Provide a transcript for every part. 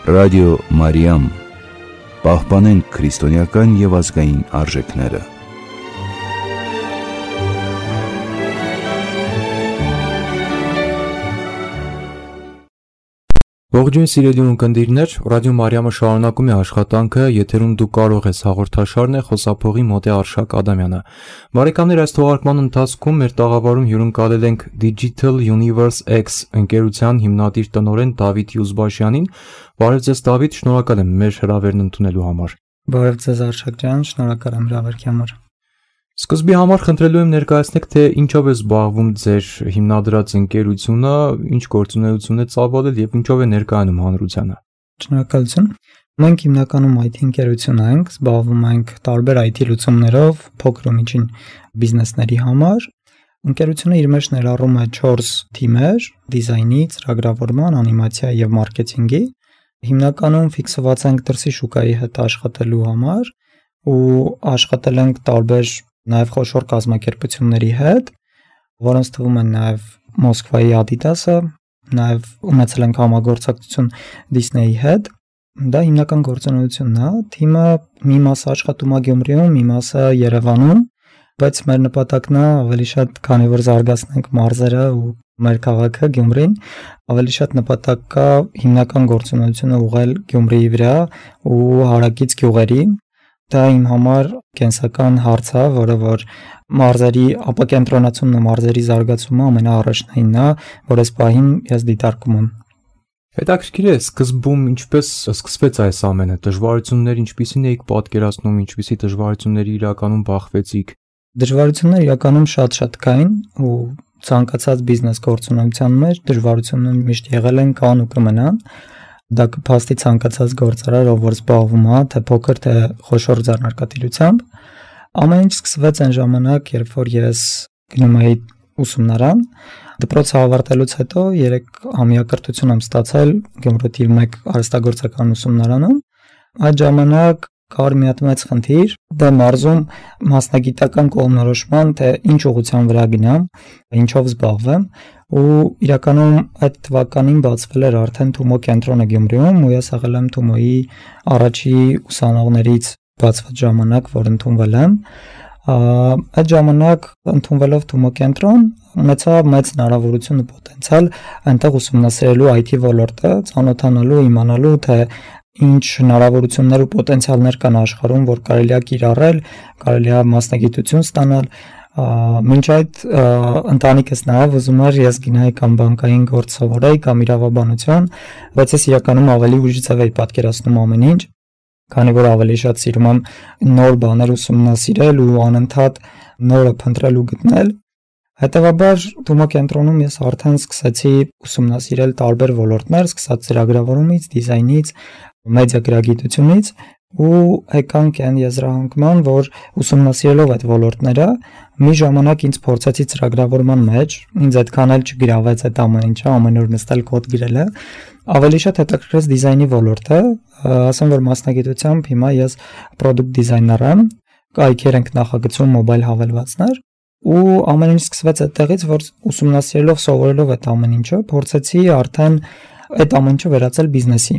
Ռադիո Մարիամ, պահպանենք քրիստոնեական և ազգային արժեքները։ Ողջույն սիրելի ունկնդիրներ, Ռադիո Մարիամը շարունակում է աշխատանքը, եթերում դու կարող ես հաղորդաշարն է, խոսափողի մոտ է Արշակ Ադամյանը։ Բարեկամներ, այս թողարկման ընթացքում մեր տաղավարում հյուրընկալել ենք Digital Universe X ընկերության հիմնադիր տնօրեն Դավիթ Յուզբաշյանին։ Բարև ձեզ Դավիթ, շնորհակալ եմ մեր հրավերն ընդունելու համար։ Բարև ձեզ Արշակ ջան, շնորհակալ եմ հրավերքի համար։ Սկզբի համար խնդրելու եմ ներկայացնեք, թե ինչով է զբաղվում ձեր հիմնադրած ընկերությունը, ինչ գործունեություն է ծավալել եւ ինչով է ներկայանում հանրությանը։ Շնորհակալություն։ Մենք հիմնականում IT ընկերություն ենք, զբաղվում ենք տարբեր IT լուծումներով, փոքր ու միջին բիզնեսների համար։ Ընկերությունը իր մեջ ներառում է 4 թիմեր՝ դիզայնի, ծրագրավորման, անիմացիա եւ մարքեթինգի։ Հիմնականում ֆիքսված ենք դրսի շուկայի հետ աշխատելու համար ու աշխատել ենք տարբեր նաև խոշոր կազմակերպությունների հետ, որոնց թվում են նաև Մոսկվայի Adidas-ը, նաև ունեցել ենք համագործակցություն Disney-ի հետ։ Դա հիմնական գործունեությունն է։ Թիմը մի մասը աշխատում է Գյումրիում, մի մասը Երևանում, բայց մեր նպատակն է ավելի շատ, քանի որ զարգացնենք մարզերը ու մեր քաղաքը Գյումրին, ավելի շատ նպատակ կա հիմնական գործունեությունը ուղղել Գյումրիի վրա ու հարակից գյուղերի։ Դա իմ համար կենսական հարց է, որը որ մարզերի ապակենտրոնացումն ու մարզերի զարգացումը ամենաառաջնայինն է, որ այս պահին ես դիտարկում եմ։ Հետաքրքիր է, սկզբում ինչպես սկսվեց այս ամենը, դժվարություններ ինչպիսին էիք պատկերացնում, ինչպիսի դժվարությունների իրականում բախվեցիք։ Դժվարությունները իրականում շատ կային ու ցանկացած բիզնես գործունեության մեջ դժվարությունները միշտ եղել են, կան ու կմնան։ Դա կփաստի ցանկացած գործարար, ով որ զբաղվում է, թե փոքր, թե խոշոր ձեռնարկատիրությամբ։ Ամեն ինչ սկսվեց այն ժամանակ, երբ որ ես գնում էի ուսումնարան, դպրոցը ավարտելուց հետո 3-ամյա կրթություն եմ ստացել Գյումրու 1 արհեստագործական ուսումնարանում։ Այդ ժամանակ կար մի հատ մեծ խնդիր, դա մարզում մասնագիտական կողմնորոշման, թե ինչ ուղղության վրա գնամ, ինչով զբաղվեմ, ու իրականում այդ թվականին բացվել էր արդեն Թումո կենտրոնը Գյումրիում, ու ես եղել եմ Թումոյի առաջի ուսանողներից բացված ժամանակ, որ ընդունվել եմ։ Այդ ժամանակ ընդունվելով Թումո կենտրոն ունեցա մեծ հնարավորություն ու պոտենցիալ այնտեղ ուսումնասիրելու IT ոլորտը, ծանոթանալու, իմանալու, թե ինչ հնարավորություններ ու պոտենցիալներ կան աշխարհում, որ կարելի է կիրառել, կարելի է մասնագիտություն ստանալ։ Մինչ այդ ընտանիքս նաև ուզում էր ես գնայի կամ բանկային գործ սովորեի կամ իրավաբանություն, բայց ես իրականում ավելի ուժի ձև էի պատկերացնում ամեն ինչ, քանի որ ավելի շատ սիրում եմ նոր բաներ ուսումնասիրել ու անընդհատ նորը փնտրել ու գտնել։ Հետևաբար Թումո կենտրոնում ես արդեն սկսեցի ուսումնասիրել տարբեր ոլորտներ, սկսած ծրագրավորումից, դիզայնից, մեդիա գրագիտությունից ու եկանք այն եզրահանգման, որ ուսումնասիրելով այդ ոլորտները մի ժամանակ ինձ փորձեցի ծրագրավորման մեջ, ինձ այդքան էլ չգրավեց այդ ամեն ինչը, ամեն օր նստել կոդ գրելը, ավելի շատ հետաքրքրեց դիզայնի ոլորտը, ասեմ որ մասնագիտությամբ հիմա ես product designer եմ, կայքեր ենք նախագծում մոբայլ հավելվածներ ու ամեն ինչ սկսվեց այդտեղից, որ ուսումնասիրելով, սովորելով այդ ամեն ինչը, փորձեցի արդեն այդ ամեն ինչը վերածել բիզնեսի։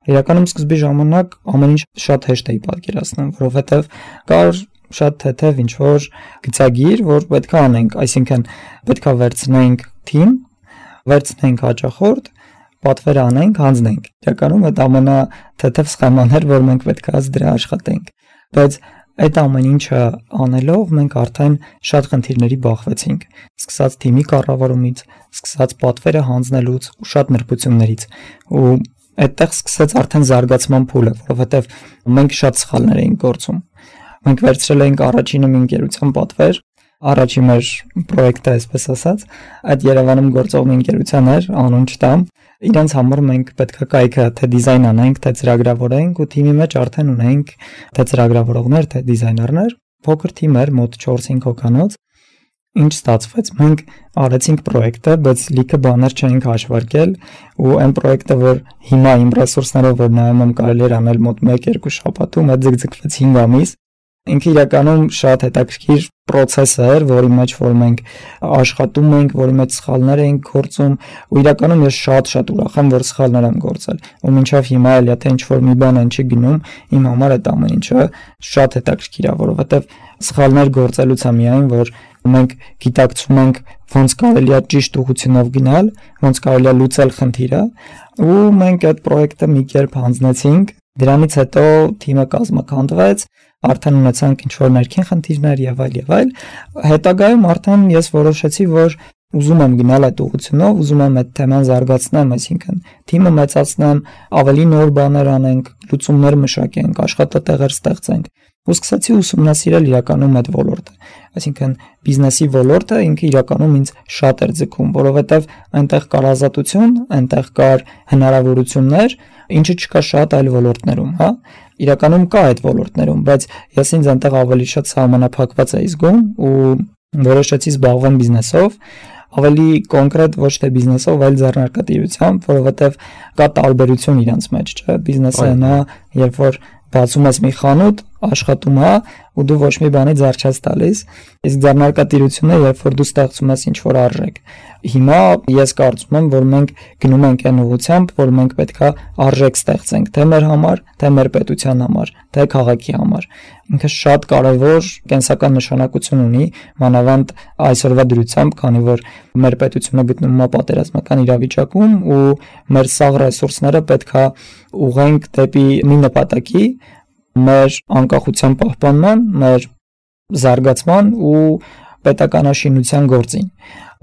Իրականում սկզբի ժամանակ ամեն ինչ շատ հեշտ էի պատկերացնում, որովհետև կար շատ թեթև ինչ-որ գծագիր, որ պետք է անենք, այսինքն պետք է վերցնենք թիմ, վերցնենք հաճախորդ, պատվեր անենք, հանձնենք։ Իրականում այդ ամենաթեթև սխեման էր, որ մենք պետք է դրա աշխատենք։ Բայց այդ ամեն ինչը անելով մենք արդեն շատ խնդիրների բախվեցինք, սկսած թիմի կառավարումից, սկսած պատվերը հանձնելուց ու շատ նրբություններից։ Ու այդտեղ սկսեց արդեն զարգացման փուլը, որովհետև մենք շատ սխալներ էինք գործում։ Մենք վերցրել էինք առաջինը մի ընկերության պատվեր, առաջի մեր պրոյեկտը, այսպես ասած, այդ Երևանում գործող մի ընկերության էր, անուն չտամ։ Իրենց համար մենք պետք է կայքը թե դիզայն անենք, թե ծրագրավորենք ու թիմի մեջ արդեն ունենք թե ծրագրավորողներ, թե դիզայներներ։ Փոքր թիմ էր, մոտ 4-5 հոգանոց։ Ինչ ստացվեց, մենք արեցինք պրոյեկտը, բայց լիքը բաներ չենք հաշվարկել ու այն պրոյեկտը, որ հիմա իմ ռեսուրսներով որ նայում եմ կարելի էր անել մոտ 1-2 շաբաթում, այդ ձգձգվեց 5 ամիս, ինքը իրականում շատ հետաքրքիր process էր, որի մեջ որ մենք աշխատում ենք, որի մեջ սխալներ ենք գործում, ու իրականում ես շատ ուրախ եմ, որ սխալներ եմ գործել։ Ու մինչև հիմա էլ եթե ինչ-որ մի բան են չի գնում, իմ համար այդ ամեն ինչը շատ հետաքրքիր է, որովհետև սխալներ գործելուց է միայն, որ մենք գիտակցում ենք ոնց կարելի է ճիշտ ուղղությունով գնալ, ոնց կարելի է լուծել խնդիրը, ու մենք այդ պրոյեկտը մի կերպ հանձնեցինք, դրանից հետո թիմը կազմաքանդվեց, արդեն ունեցանք ինչ-որ ներքին խնդիրներ եւ այլ, հետագայում արդեն ես որոշեցի, որ ուզում եմ գնալ այդ ուղղությունով, ուզում եմ այդ թեման զարգացնեմ, այսինքն թիմը մեծացնեմ, ավելի նոր բաներ անենք, լուծումներ մշակենք, աշխատատեղեր ստեղծենք, ու սկսեցի ուսումնասիրել իրականում այդ ոլորտը, այսինքն բիզնեսի ոլորտը ինքը իրականում ինձ շատ էր ձգում, որովհետև այնտեղ կար ազատություն, այնտեղ կար հնարավորություններ, ինչը չկա շատ այլ ոլորտներում, հա, իրականում կա այդ ոլորտներում, բայց ես ինձ այնտեղ ավելի շատ սահմանափակված էի զգում ու որոշեցի զբաղվել բիզնեսով, ավելի կոնկրետ ոչ թե բիզնեսով, այլ ձեռնարկատիրությամբ, որովհետև կա տարբերություն իրանց մեջ, չէ՞, բիզնեսը նա, երբ որ բացում ես մի խանութ, աշխատում է ու դու ոչ մի բանի ձեռ չես տալիս, իսկ ձեռնարկատիրությունը, երբ որ դու ստեղծում ես ինչ-որ արժեք։ Հիմա ես կարծում եմ, որ մենք գնում ենք այն ուղղությամբ, որ մենք պետքա արժեք ստեղծենք, թե մեր համար, թե մեր պետության համար, թե քաղաքի համար։ Ինքը շատ կարևոր կենսական նշանակություն ունի, մանավանդ այսօրվա դրությամբ, քանի որ մեր պետությունը գտնվում է պատերազմական իրավիճակում ու մեր սաղ ռեսուրսները պետքա ուղենք դեպի մի նպատակի, մեր անկախության պահպանման, մեր զարգացման ու պետականաշինության գործին,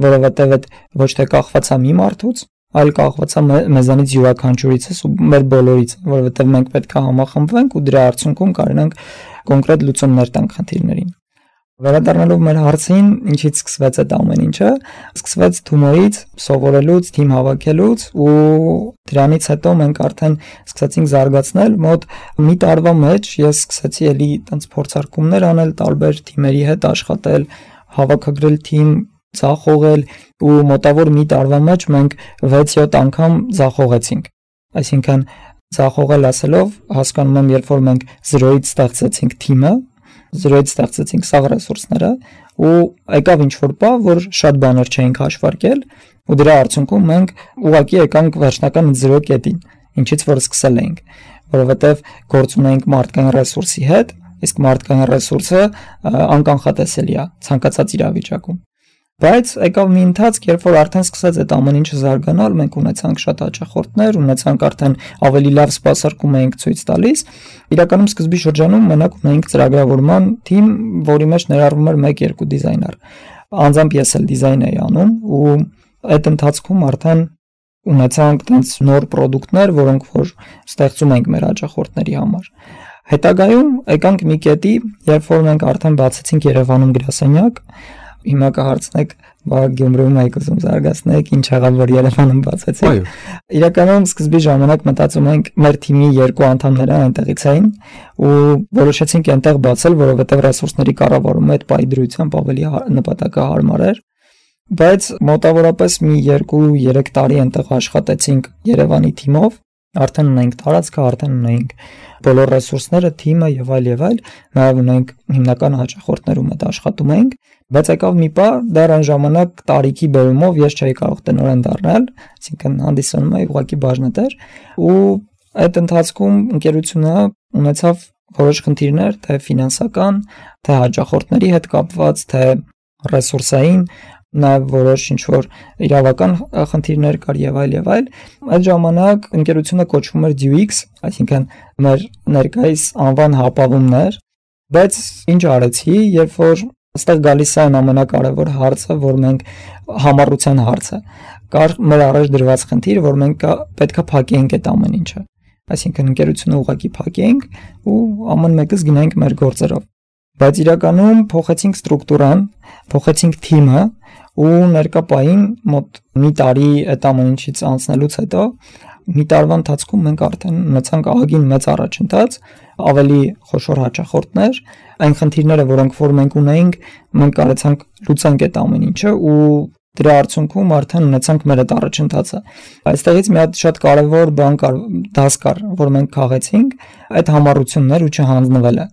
որովհետև այդ ոչ թե կախված է մի մարդուց, այլ կախված է մեզանից յուրաքանչյուրիցս ու մեր բոլորից, որովհետև մենք պետք է համախմբվենք ու դրա արդյունքում կարողանանք կոնկրետ լուծումներ տանք խնդիրներին։ Վերադառնալով մեր հարցին, ինչից սկսվեց այդ ամեն ինչը, սկսվեց Թումոյից, սովորելուց, թիմ հավաքելուց ու դրանից հետո մենք արդեն սկսեցինք զարգացնել, մոտ մի տարվա մեջ ես սկսեցի էլի տենց փորձարկումներ անել, տարբեր թիմերի հետ աշխատել, հավաքագրել թիմ, ձախողել ու մոտավոր մի տարվա մեջ մենք 6-7 անգամ ձախողեցինք։ Այսինքն ձախողել ասելով հասկանում եմ, երբ որ մենք 0-ից ստեղծեցինք թիմը, 0-ից ստեղծեցինք սաղ ռեսուրսները ու եկավ ինչ-որ բան, որ շատ բաներ չէինք հաշվարկել ու դրա արդյունքում մենք ուղղակի եկանք վերջնական 0 կետին, ինչից որ սկսել էինք, որովհետև գործ ունեինք մարդկային ռեսուրսի հետ, իսկ մարդկային ռեսուրսը անկանխատեսելի է ցանկացած իրավիճակում։ Բայց եկավ մի ընթացք, երբ որ արդեն սկսեց այդ ամեն ինչը զարգանալ, մենք ունեցանք շատ հաճախորդներ, ունեցանք արդեն ավելի լավ սպասարկում էինք ցույց տալիս։ Իրականում սկզբի շրջանում մենակ ունեինք ծրագրավորման թիմ, որի մեջ ներառվում էր 1-2 դիզայներ։ Անձամբ ես էլ դիզայն էի անում ու այդ ընթացքում արդեն ունեցանք տենց նոր ապրանքներ, որոնք որ ստեղծում ենք մեր հաճախորդների համար։ Հետագայում եկանք մի կետի, երբ որ մենք արդեն բացեցինք Երևանում գրասենյակ, հիմա կհարցնեք, բա Գյումրիում եք ուզում զարգացնեք, ինչ եղավ որ Երևանում բացեցիք։ Իրականում սկզբի ժամանակ մտածում ենք մեր թիմի 2 անդամները այնտեղից էին ու որոշեցինք այնտեղ բացել, որովհետև ռեսուրսների կառավարումը այդ պայդրությամբ ավելի նպատակահարմար էր։ Բայց մոտավորապես մի 2-3 տարի այնտեղ աշխատեցինք Երևանի թիմով, արդեն ունենք տարածքը, արդեն ունենք բոլոր ռեսուրսները, թիմը եւ այլ, նաեւ ունենք հիմնական հաճախորդներում այդ աշխատում ենք, բայց եկավ մի պահ, դեռ այն ժամանակ տարիքի բերումով ես չէի կարող տնօրեն դառնալ, այսինքն հանդիսանում էի ուղղակի բաժնետեր ու այդ ընթացքում ընկերությունը ունեցավ որոշ խնդիրներ, թե ֆինանսական, թե հաճախորդների հետ կապված, թե ռեսուրսային, նաև որոշ ինչ-որ իրավական խնդիրներ կար եւ այլ։ Այդ ժամանակ ընկերությունը կոչվում էր DUX, այսինքն մեր ներկայիս անվան հապավումներ, բայց ինչ արեցի, երբ որ այստեղ գալիս է ամենակարևոր հարցը, որ մենք համառության հարցը։ Կար մեր առաջ դրված խնդիր, որ մենք պետքա փակենք այդ ամեն ինչը։ Այսինքն ընկերությունը ուղղակի փակենք ու ամեն մեկս գնանք մեր գործերով։ Բայց իրականում փոխեցինք ստրուկտուրան, փոխեցինք թիմը ու ներկա պահին մոտ մի տարի այդ ամեն ինչից անցնելուց հետո մի տարվա ընթացքում մենք արդեն ունեցանք ահագին մեծ առաջընթաց, ավելի խոշոր հաճախորդներ, այն խնդիրները, որոնք որ մենք ունեինք, մենք կարեցանք լուծենք այդ ամեն ինչը ու դրա արդյունքում արդեն ունեցանք մեր այդ առաջընթացը։ Այստեղից մի հատ շատ կարևոր բան կար, դաս կար, որ մենք քաղեցինք, այդ համառություններ ու չհանձնվելը,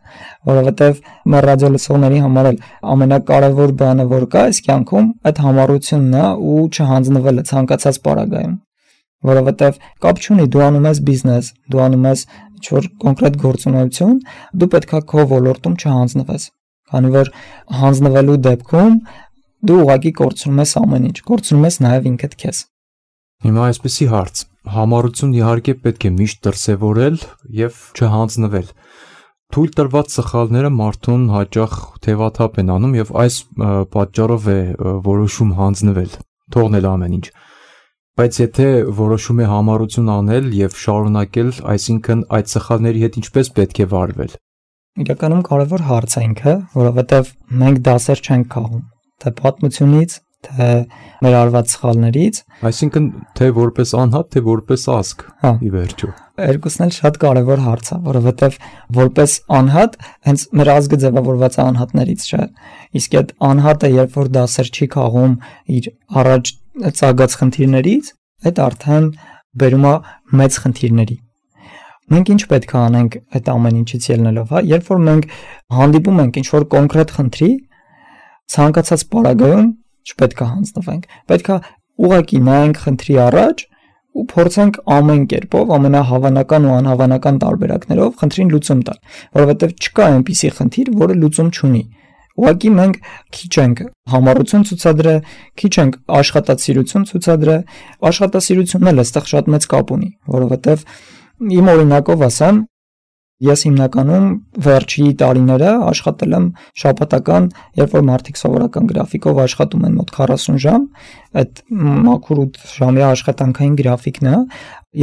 որովհետև մեր ռադիո լսողների համար էլ ամենակարևոր բանը, որ կա այս կյանքում, այդ համառությունն է ու չհանձնվելը ցանկացած պարագայում, որովհետև կապ չունի դու անում ես բիզնես, դու անում ես ինչ-որ կոնկրետ գործունեություն, դու պետքա քո ոլորտում չհանձնվես, քանի որ հանձնվելու դեպքում դու ուղղակի կորցնում ես ամեն ինչ, կորցնում ես նաև ինքդ քեզ։ Հիմա այսպեսի հարց. համառություն իհարկե պետք է միշտ դրսևորել եւ չհանձնվել։ Թույլ տրված սխալները մարդուն հաճախ թևաթափ են անում եւ այս պատճառով է որոշում հանձնվել, թողնել ամեն ինչ։ Բայց եթե որոշում է համառություն անել եւ շարունակել, այսինքն այդ սխալների հետ ինչպես պետք է վարվել։ Իրականում կարևոր հարց է ինքը, որովհետեւ մենք դասեր չենք քաղում, թե պատմությունից, թե մեր արված սխալներից, այսինքն թե որպես անհատ, թե որպես ազգ, ի վերջո։ Երկուսն էլ շատ կարևոր հարց է, որովհետև որպես անհատ հենց մեր ազգը ձևավորված է անհատներից, չէ։ Իսկ այդ անհատը, երբ որ դասեր չի քաղում իր առաջ ծագած խնդիրներից, այդ արդեն բերում է մեծ խնդիրների։ Մենք ինչ պետք է անենք այդ ամեն ինչից ելնելով, հա, երբ որ մենք հանդիպում ենք ինչ-որ կոնկրետ խնդրի, ցանկացած պարագայում չպետք է հանձնվենք, պետք է ուղղակի նայենք խնդրի առաջ ու փորձենք ամեն կերպով, ամենահավանական ու անհավանական տարբերակներով խնդրին լուծում տալ, որովհետև չկա այնպիսի խնդիր, որը լուծում չունի։ Ուղղակի մենք քիչ ենք համառություն ցուցադրել, քիչ ենք աշխատասիրություն ցուցադրել, աշխատասիրությունն էլ այստեղ շատ մեծ կապ ունի, որովհետև իմ օրինակով ասեմ, ես հիմնականում վերջի տարիները աշխատել եմ շաբաթական, երբ որ մարդիկ սովորական գրաֆիկով աշխատում են մոտ 40 ժամ, այդ մաքուր 8 ժամյա աշխատանքային գրաֆիկն է,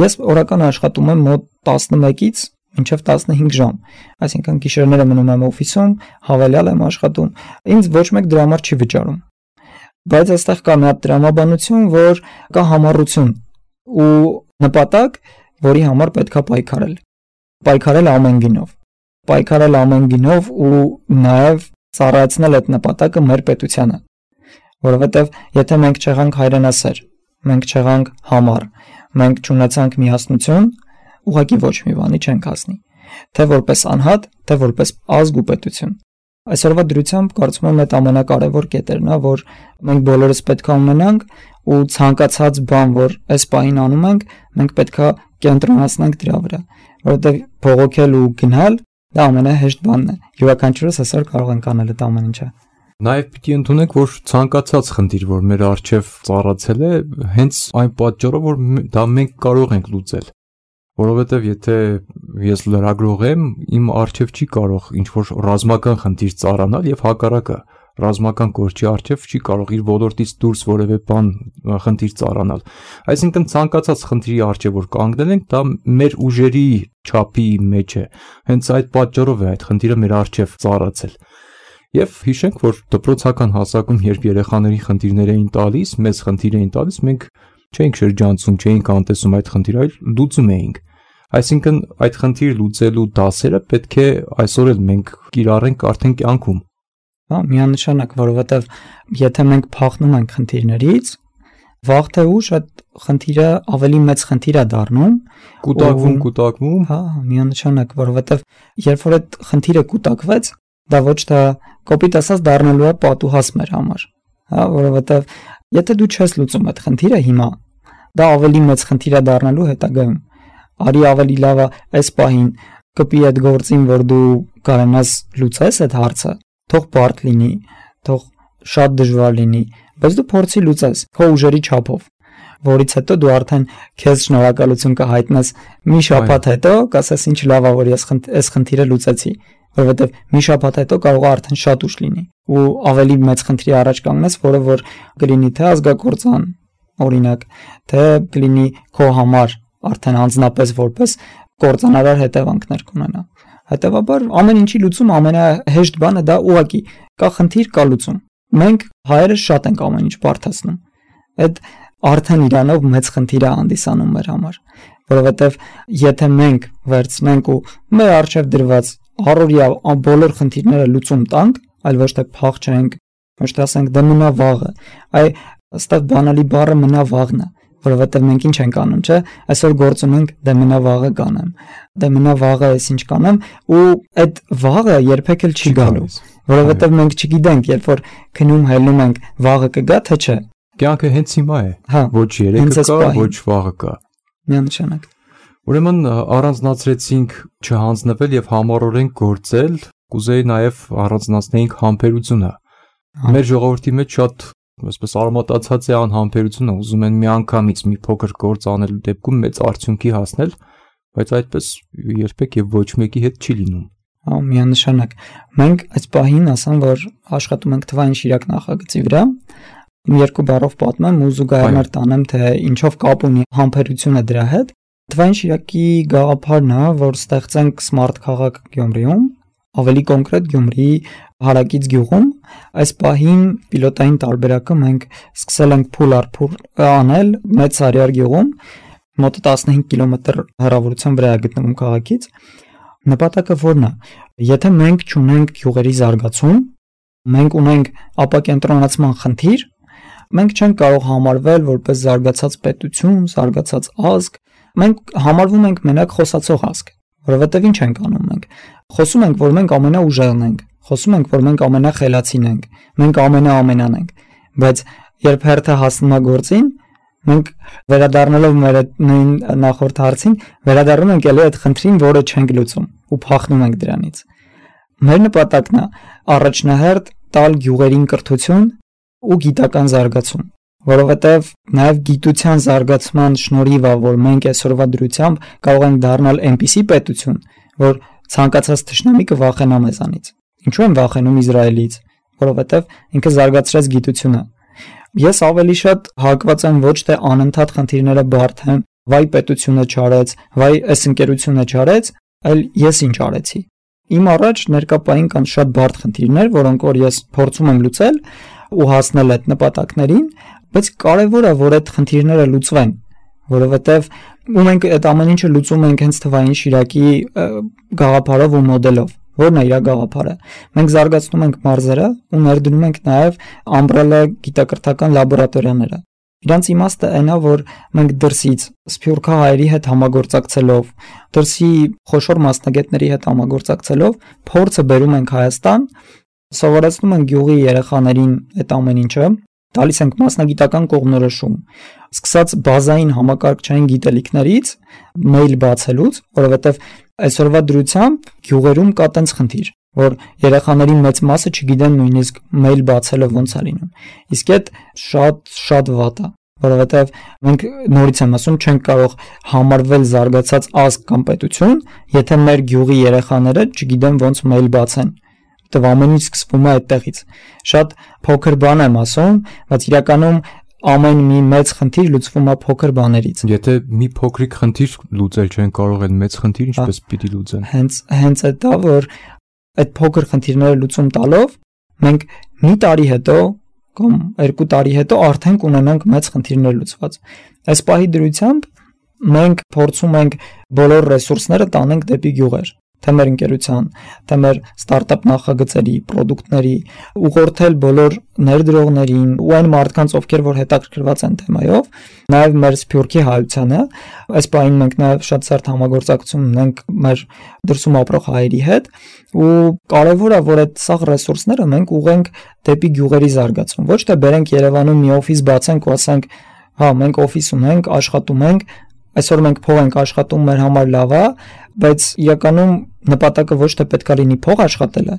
ես օրական աշխատում եմ մոտ 11-ից մինչև 15 ժամ, այսինքն գիշերները մնում եմ օֆիսում, հավելյալ եմ աշխատում, ինձ ոչ մեկ դրա համար չի վճարում, բայց այստեղ կա մի հատ տրամաբանություն, որ կա համառություն ու նպատակ, որի համար պետք է պայքարել ամեն գինով ու նաև ծառայեցնել այդ նպատակը մեր պետությանը, որովհետև եթե մենք չեղանք հայրենասեր, մենք չեղանք համառ, մենք չունեցանք միասնություն, ուղղակի ոչ մի բանի չենք հասնի, թե որպես անհատ, թե որպես ազգ ու պետություն։ Այսօրվա դրությամբ կարծում եմ այդ ամենակարևոր կետերն է, որ մենք բոլորս պետք է ունենանք ու ցանկացած բան, որ այս պահին անում ենք, մենք պետք է կենտրոնացնենք դրա վրա, որովհետև փողոքել ու գնալ դա ամենահեշտ բանն է։ Յուրաքանչյուրս այսօր կարող ենք անել այդ ամեն ինչը։ Նաև պիտի ընդունենք, որ ցանկացած խնդիր, որ մեր առջև ծառացել է, հենց այն պատճառով, որ դա մենք կարող ենք լուծել։ Որովհետև եթե ես լրագրող եմ, իմ առջև չի կարող ինչ-որ ռազմական խնդիր ծառանալ եւ հակառակը, ռազմական կորչի առջև չի կարող իր ոլորտից դուրս որևէ բան խնդիր ծառանալ։ Այսինքն ցանկացած խնդրի առջև որ կանգնել ենք, դա մեր ուժերի չափի մեջ է։ Հենց այդ պատճառով է այդ խնդիրը մեր առջև ծառացել։ Եվ հիշենք, որ դպրոցական հասակում, երբ երեխաների խնդիրներ էին տալիս, մեծ խնդիր էին տալիս, մենք չէինք շրջանցում, չէինք անտեսում այդ խնդիրը, այլ լուծում էինք։ Այսինքն այդ խնդիր լուծելու դասերը պետք է այսօր էլ մենք կիրառենք արդեն կյանքում։ Հա, միանշանակ, որովհետև եթե մենք փախնում ենք խնդիրներից, վաղ թե ուշ այդ խնդիրը ավելի մեծ խնդիր է դառնում, կուտակվում, հա, միանշանակ, որովհետև երբ որ այդ խնդիրը կուտակվեց, դա ոչ թե կոպիտ ասած դառնալու է պատուհաս մեր համար, հա, որովհետև եթե դու չես լուծում այդ խնդիրը հիմա, դա ավելի մեծ խնդիր է դառնալու հետագայում։ Արի ավելի լավ է այս պահին կպի այդ գործին, որ դու կարողանաս լուծես այդ հարցը, թող բարդ լինի, թող շատ դժվար լինի, բայց դու փորձի լուծես քո ուժերի չափով, որից հետո դու արդեն քեզ շնորհակալություն կհայտնես մի շաբաթ հետո, կասես ինչ լավ է, որ ես այս խնդիրը լուծեցի, որովհետև մի շաբաթ հետո կարող է արդեն շատ ուշ լինի ու ավելի մեծ խնդրի առաջ կանգնես, որը որ կլինի թե ազգակործան, օրինակ, թե կլինի քո համար արդեն անձնապես որպես կործանարար հետևանքներ կունենա։ Հետևաբար ամեն ինչի լուծում ամենահեշտ բանը դա ուղղակի կա խնդիր, կա լուծում։ Մենք հայերը շատ ենք ամեն ինչ բարդացնում։ Այդ արդեն իրանով մեծ խնդիր է հանդիսանում մեր համար, որովհետև եթե մենք վերցնենք ու մեր առջև դրված առօրյա բոլոր խնդիրները լուծում տանք, այլ ոչ թե փախչենք, ոչ թե ասենք դե մնա վաղը, այ Այստեղ բանալի բառը մնա վաղն է, որովհետև մենք ինչ ենք անում, չէ՞, այսօր գործ ունենք, դե մնա վաղը կանեմ, դե մնա վաղը էս ինչ կանեմ, ու այդ վաղը երբեք էլ չի գալու, որովհետև մենք չգիտենք, երբ որ քնում հելնում ենք, վաղը կգա թե չէ։ Կյանքը հենց հիմա է, ոչ երեկը կա, ոչ վաղը կա։ Միանշանակ։ Ուրեմն առանձնացրեցինք չհանձնվել եւ համառորեն գործել, կուզեի նաեւ առանձնացնեինք համբերությունը։ Մեր ժողովրդի մեջ շատ այսպես արմատացած է անհամբերությունը, ուզում են միանգամից մի փոքր գործ անելու դեպքում մեծ արդյունքի հասնել, բայց այդպես երբեք եւ ոչ մեկի հետ չի լինում։ Միանշանակ։ Մենք այս պահին ասեմ, որ աշխատում ենք թվային շիրակ նախագծի վրա։ Երկու բառով պատմեմ ու զուգահեռ տանեմ, թե ինչով կապ ունի համբերությունը դրա հետ։ Թվային շիրակի գաղափարն է, որ ստեղծենք սմարթ քաղաք Գյումրիում, ավելի կոնկրետ Գյումրիի հարակից գյուղում։ Այս պահին պիլոտային տարբերակը մենք սկսել ենք փուլ առ փուլ անել Մեծ Սարյար գյուղում, մոտ 15 կիլոմետր հեռավորության վրա է գտնվում քաղաքից։ Նպատակը որն է։ Եթե մենք չունենք գյուղերի զարգացում, մենք ունենք ապակենտրոնացման խնդիր, մենք չենք կարող համարվել որպես զարգացած պետություն, զարգացած ազգ, մենք համարվում ենք մենակ խոսացող ազգ, որովհետև ինչ ենք անում մենք։ Խոսում ենք, որ մենք ամենաուժեղն ենք, խոսում ենք, որ մենք ամենախելացին ենք, մենք ամենաամենան ենք, բայց երբ հերթը հասնում է գործին, մենք վերադառնալով մեր նույն նախորդ հարցին, վերադառնում ենք ելի այդ խնդրին, որը չենք լուծում ու փախնում ենք դրանից։ Մեր նպատակն է առաջնահերթ տալ գյուղերին կրթություն ու գիտական զարգացում, որովհետև նաև գիտության զարգացման շնորհիվ է, որ մենք այսօրվա դրությամբ կարող ենք դառնալ այնպիսի պետություն, որ ցանկացած թշնամի կվախենա մեզանից։ Ինչու են վախենում Իսրայելից, որովհետև ինքը զարգացրեց գիտությունը։ Ես ավելի շատ հակված եմ ոչ թե անընդհատ խնդիրները բարթեմ, վայ պետությունը չարեց, վայ այս ընկերությունը չարեց, այլ ես ինչ արեցի։ Իմ առաջ ներկայապային կան շատ բարդ խնդիրներ, որոնք որ ես փորձում եմ լուծել ու հասնել այդ նպատակներին, բայց կարևոր է, որ այդ խնդիրները լուծվեն, որովհետև ու մենք այդ ամեն ինչը լուծում ենք հենց թվային շիրակի գաղափարով ու մոդելով, որն է իր գաղափարը։ Մենք զարգացնում ենք մարզերը ու ներդնում ենք նաև ամբրելա գիտակրթական լաբորատորիաները։ Իրանց իմաստը այն է, որ մենք դրսից սփյուռքահայերի հետ համագործակցելով, դրսի խոշոր մասնագետների հետ համագործակցելով փորձը բերում ենք Հայաստան, սովորեցնում ենք գյուղի երեխաներին այդ ամեն ինչը, տալիս ենք մասնագիտական կողմնորոշում, սկսած բազային համակարգչային գիտելիքներից, մեյլ բացելուց, որովհետև այսօրվա դրությամբ գյուղերում կա տենց խնդիր, որ երեխաների մեծ մասը չգիտեն նույնիսկ մեյլ բացելը ոնց է լինում։ Իսկ այդ շատ վատ է, որովհետև մենք նորից եմ ասում, չենք կարող համարվել զարգացած ազգ կամ պետություն, եթե մեր գյուղի երեխաները չգիտեն ոնց մեյլ բացեն։ Դե ամեն ինչ սկսվում է այդտեղից։ Շատ փոքր բան եմ ասում, բայց իրականում ամեն մի մեծ խնդիր լուծվում է փոքր բաներից։ Եթե մի փոքրիկ խնդիր լուծել չեն կարող, այդ մեծ խնդիրը ինչպես պիտի լուծեն։ Հենց այդ է, որ այդ փոքր խնդիրները լուծում տալով մենք մի տարի հետո կամ 2 տարի հետո արդեն կունենանք մեծ խնդիրներ լուծված։ Այս պահի դրությամբ մենք փորձում ենք բոլոր ռեսուրսները տանենք դեպի գյուղեր, թե մեր ընկերության, թե մեր ստարտափ նախագծերի, պրոդուկտների, ուղղորդել բոլոր ներդրողներին ու այն մարդկանց, ովքեր որ հետաքրքրված են թեմայով, նաև մեր Սփյուռքի հայությանը, այս պահին մենք նաև շատ սերտ համագործակցություն ունենք մեր դրսում ապրող հայերի հետ, ու կարևոր է, որ այդ սաղ ռեսուրսները մենք ուղենք դեպի գյուղերի զարգացում, ոչ թե բերենք Երևանում մի օֆիս բացենք ու ասենք, հա, մենք օֆիս ունենք, աշխատում ենք, այսօր մենք փող ենք աշխատում, մեր համար լավ է, բայց իրականում նպատակը ոչ թե պետք է լինի փող աշխատելը,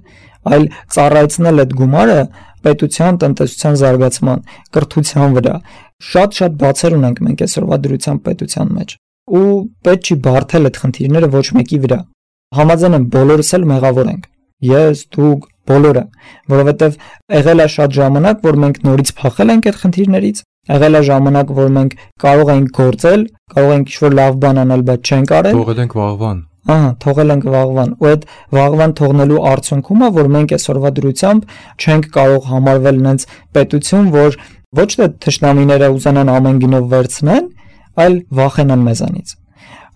այլ ծառայեցնել այդ գումարը պետության, տնտեսության զարգացման, կրթության վրա։ Շատ բացեր ունենք մենք այսօրվա դրությամբ պետության մեջ, ու պետք չի բարթել այդ խնդիրները ոչ մեկի վրա։ Համաձայն եմ, բոլորս էլ մեղավոր ենք։ Ես, դուք, բոլորը, որովհետև եղել է շատ ժամանակ, որ մենք նորից փախել ենք այդ խնդիրներից, եղել է ժամանակ, որ մենք կարող ենք գործել, կարող ենք ինչ-որ լավ բան անել, բայց չենք արել։ Թողել ենք վաղվան։ Թողել ենք վաղվան, ու այդ վաղվան թողնելու արդյունքում է, որ մենք այսօրվա դրությամբ չենք կարող համարվել նենց պետություն, որ ոչ թե թշնամիները ուզենան ամեն գնով վերցնեն, այլ վախենան մեզանից։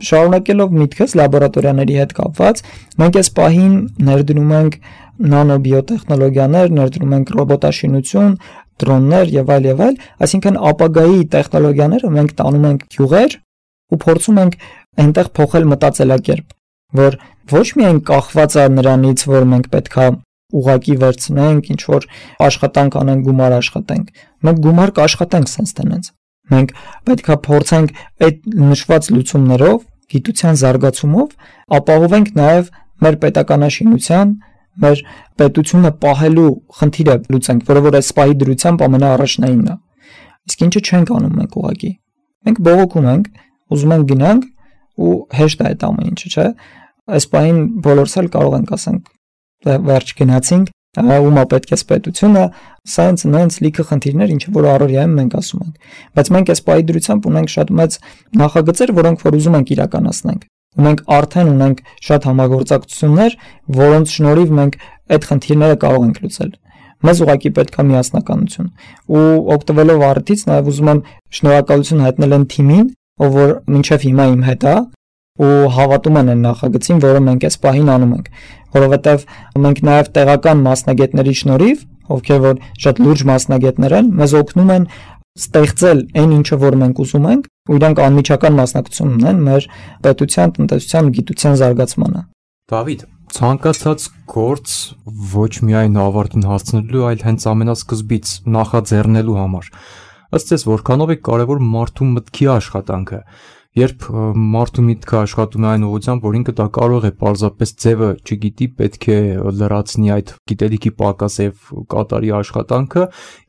Շարունակելով միտքս լաբորատորիաների հետ կապված, մենք այս պահին ներդնում ենք նանոբիոտեխնոլոգիաներ, ներդնում ենք ռոբոտաշինություն, դրոններ եւ այլ, այսինքն ապագայի տեխնոլոգիաները մենք տանում ենք գյուղեր ու փորձում ենք այնտեղ փոխել մտածելակերպ, որ ոչ միայն կախված է նրանից, որ մենք պետքա ուղակի վերցնենք, ինչ որ աշխատանք անենք, գումար աշխատենք։ Մենք գումար կաշխատենք sense տենց։ Մենք պետքա փորձենք այդ նշված լուծումներով, գիտության զարգացումով ապահովենք նաև մեր պետականաշինության, մեր պետությունը պահելու խնդիրը լուծենք, որը որ այս պահի դրությամբ ամենաառաջնայինն է։ Իսկ ինչը չենք անում մենք ուղակի։ Մենք բողոքում ենք, ուզում ենք գնանք ու հեշտ է այդ ամեն ինչը, չէ՞։ Այս պահին բոլորս էլ կարող ենք ասենք վերջ գնացինք, ումա պետք է պետությունը, սայնս նենց լիքը խնդիրներ, ինչը որ առօրյայում մենք ասում ենք։ Բայց մենք այս պահի դրությամբ ունենք շատ մեծ նախագծեր, որոնք որ ուզում ենք իրականացնենք։ Ու մենք արդեն ունենք շատ համագործակցություններ, որոնց շնորհիվ մենք այդ խնդիրները կարող ենք լուծել։ Մեզ ուղղակի պետք է միասնականություն։ Ու օգտվելով առիթից նաև ուզում եմ շնորհակալություն հայտնել այն թիմին, ով որ մինչև հիմա իմ հետ է ու հավատում են այն նախագծին, որը մենք այս պահին անում ենք, որովհետև մենք նաև տեղական մասնագետների շնորհիվ, ովքեր որ շատ լուրջ մասնագետներ են, մեզ օգնում են ստեղծել այն ինչը որ մենք ուզում ենք, ու իրանք անմիջական մասնակցություն ունեն մեր պետության, տնտեսության, գիտության զարգացմանը։ Դավիթ, ցանկացած գործ ոչ միայն ավարտին հասցնելու, այլ հենց ամենասկզբից նախաձեռնելու համար։ Ըստ ես որքանով է կարևոր մարդու մտքի աշխատանքը։ Երբ մարդու միտքը աշխատում է այն ուղղությամբ, որ ինքը դա կարող է պարզապես ձևը չգիտի, պետք է լրացնի այդ գիտելիքի պակաս եւ կատարի աշխատանքը,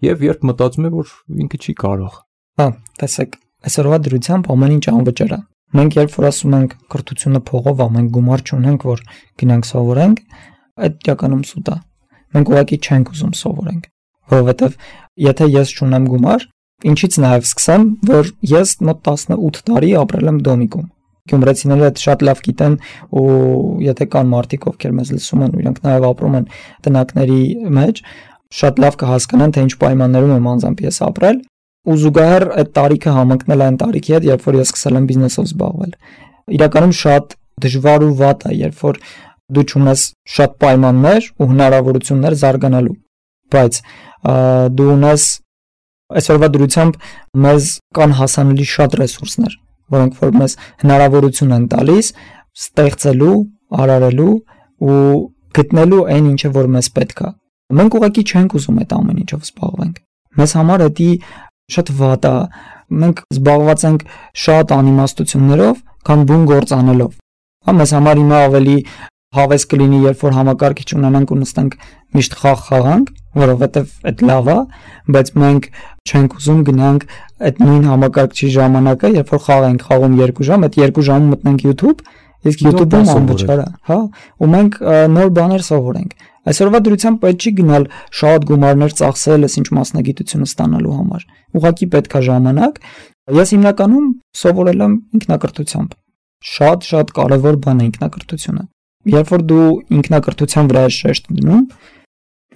եւ երբ մտածում է, որ ինքը չի կարող։ Հա, տեսեք, այսօրվա դրությամբ ամեն ինչ անվճար է։ Մենք երբ որ ասում ենք կրթությունը փողով է, մենք գումար չունենք, որ գնանք սովորենք, այդ իրականում սուտ է։ Մենք ուղղակի չենք ուզում սովորենք, որովհետեւ եթե ես չունեմ գումար, ինչից նաև սկսեմ, որ ես մոտ 18 տարի ապրել եմ Դոմիկում։ Գյումրեցիները դա շատ լավ գիտեն ու եթե կան մարդիկ, ովքեր մեզ լսում են, իրանք նաև ապրում են տնակների մեջ, շատ լավ կհասկանան, թե ինչ պայմաններում եմ անձամբ ես ապրել, ու զուգահեռ այդ տարիքը համընկնել այն տարիքի հետ, երբ որ ես սկսել եմ բիզնեսով զբաղվել։ Իրականում շատ դժվար ու վատ է, երբ որ դու չունես շատ պայմաններ ու հնարավորություններ զարգանալու, բայց դու ունես այսօրվա դրությամբ մեզ կան հասանելի շատ ռեսուրսներ, որոնք որ մեզ հնարավորություն են տալիս ստեղծելու, արարելու ու գտնելու այն ինչը որ մեզ պետք է։ Մենք ուղղակի չենք ուզում այդ ամեն ինչով զբաղվենք։ Մեզ համար դա շատ վատ է։ Մենք զբաղված ենք շատ անիմաստություններով, քան բուն գործ անելով։ Հա, մեզ համար հիմա ավելի հավես կլինի, երբ որ համակարգիչ ունենանք ու նստենք միշտ խաղ խաղանք, որովհետև այդ լավ է, բայց մենք չենք ուզում գնանք այդ նույն համակարգչի ժամանակը, երբ որ խաղ ենք խաղում 2 ժամ, այդ 2 ժամում մտնենք YouTube, իսկ YouTube-ում անվճար է, հա, ու մենք նոր բաներ սովորենք։ Այսօրվա դրությամբ պետք չի գնալ շատ գումարներ ծախսել, ինչ մասնագիտությունը ստանալու համար։ Ուղղակի պետք է ժամանակ։ Ես հիմնականում սովորել եմ ինքնակրթությամբ։ Շատ կարևոր բան է ինքնակրթությունը։ Երբ որ դու ինքնակրթության վրա ես շեշտ դնում,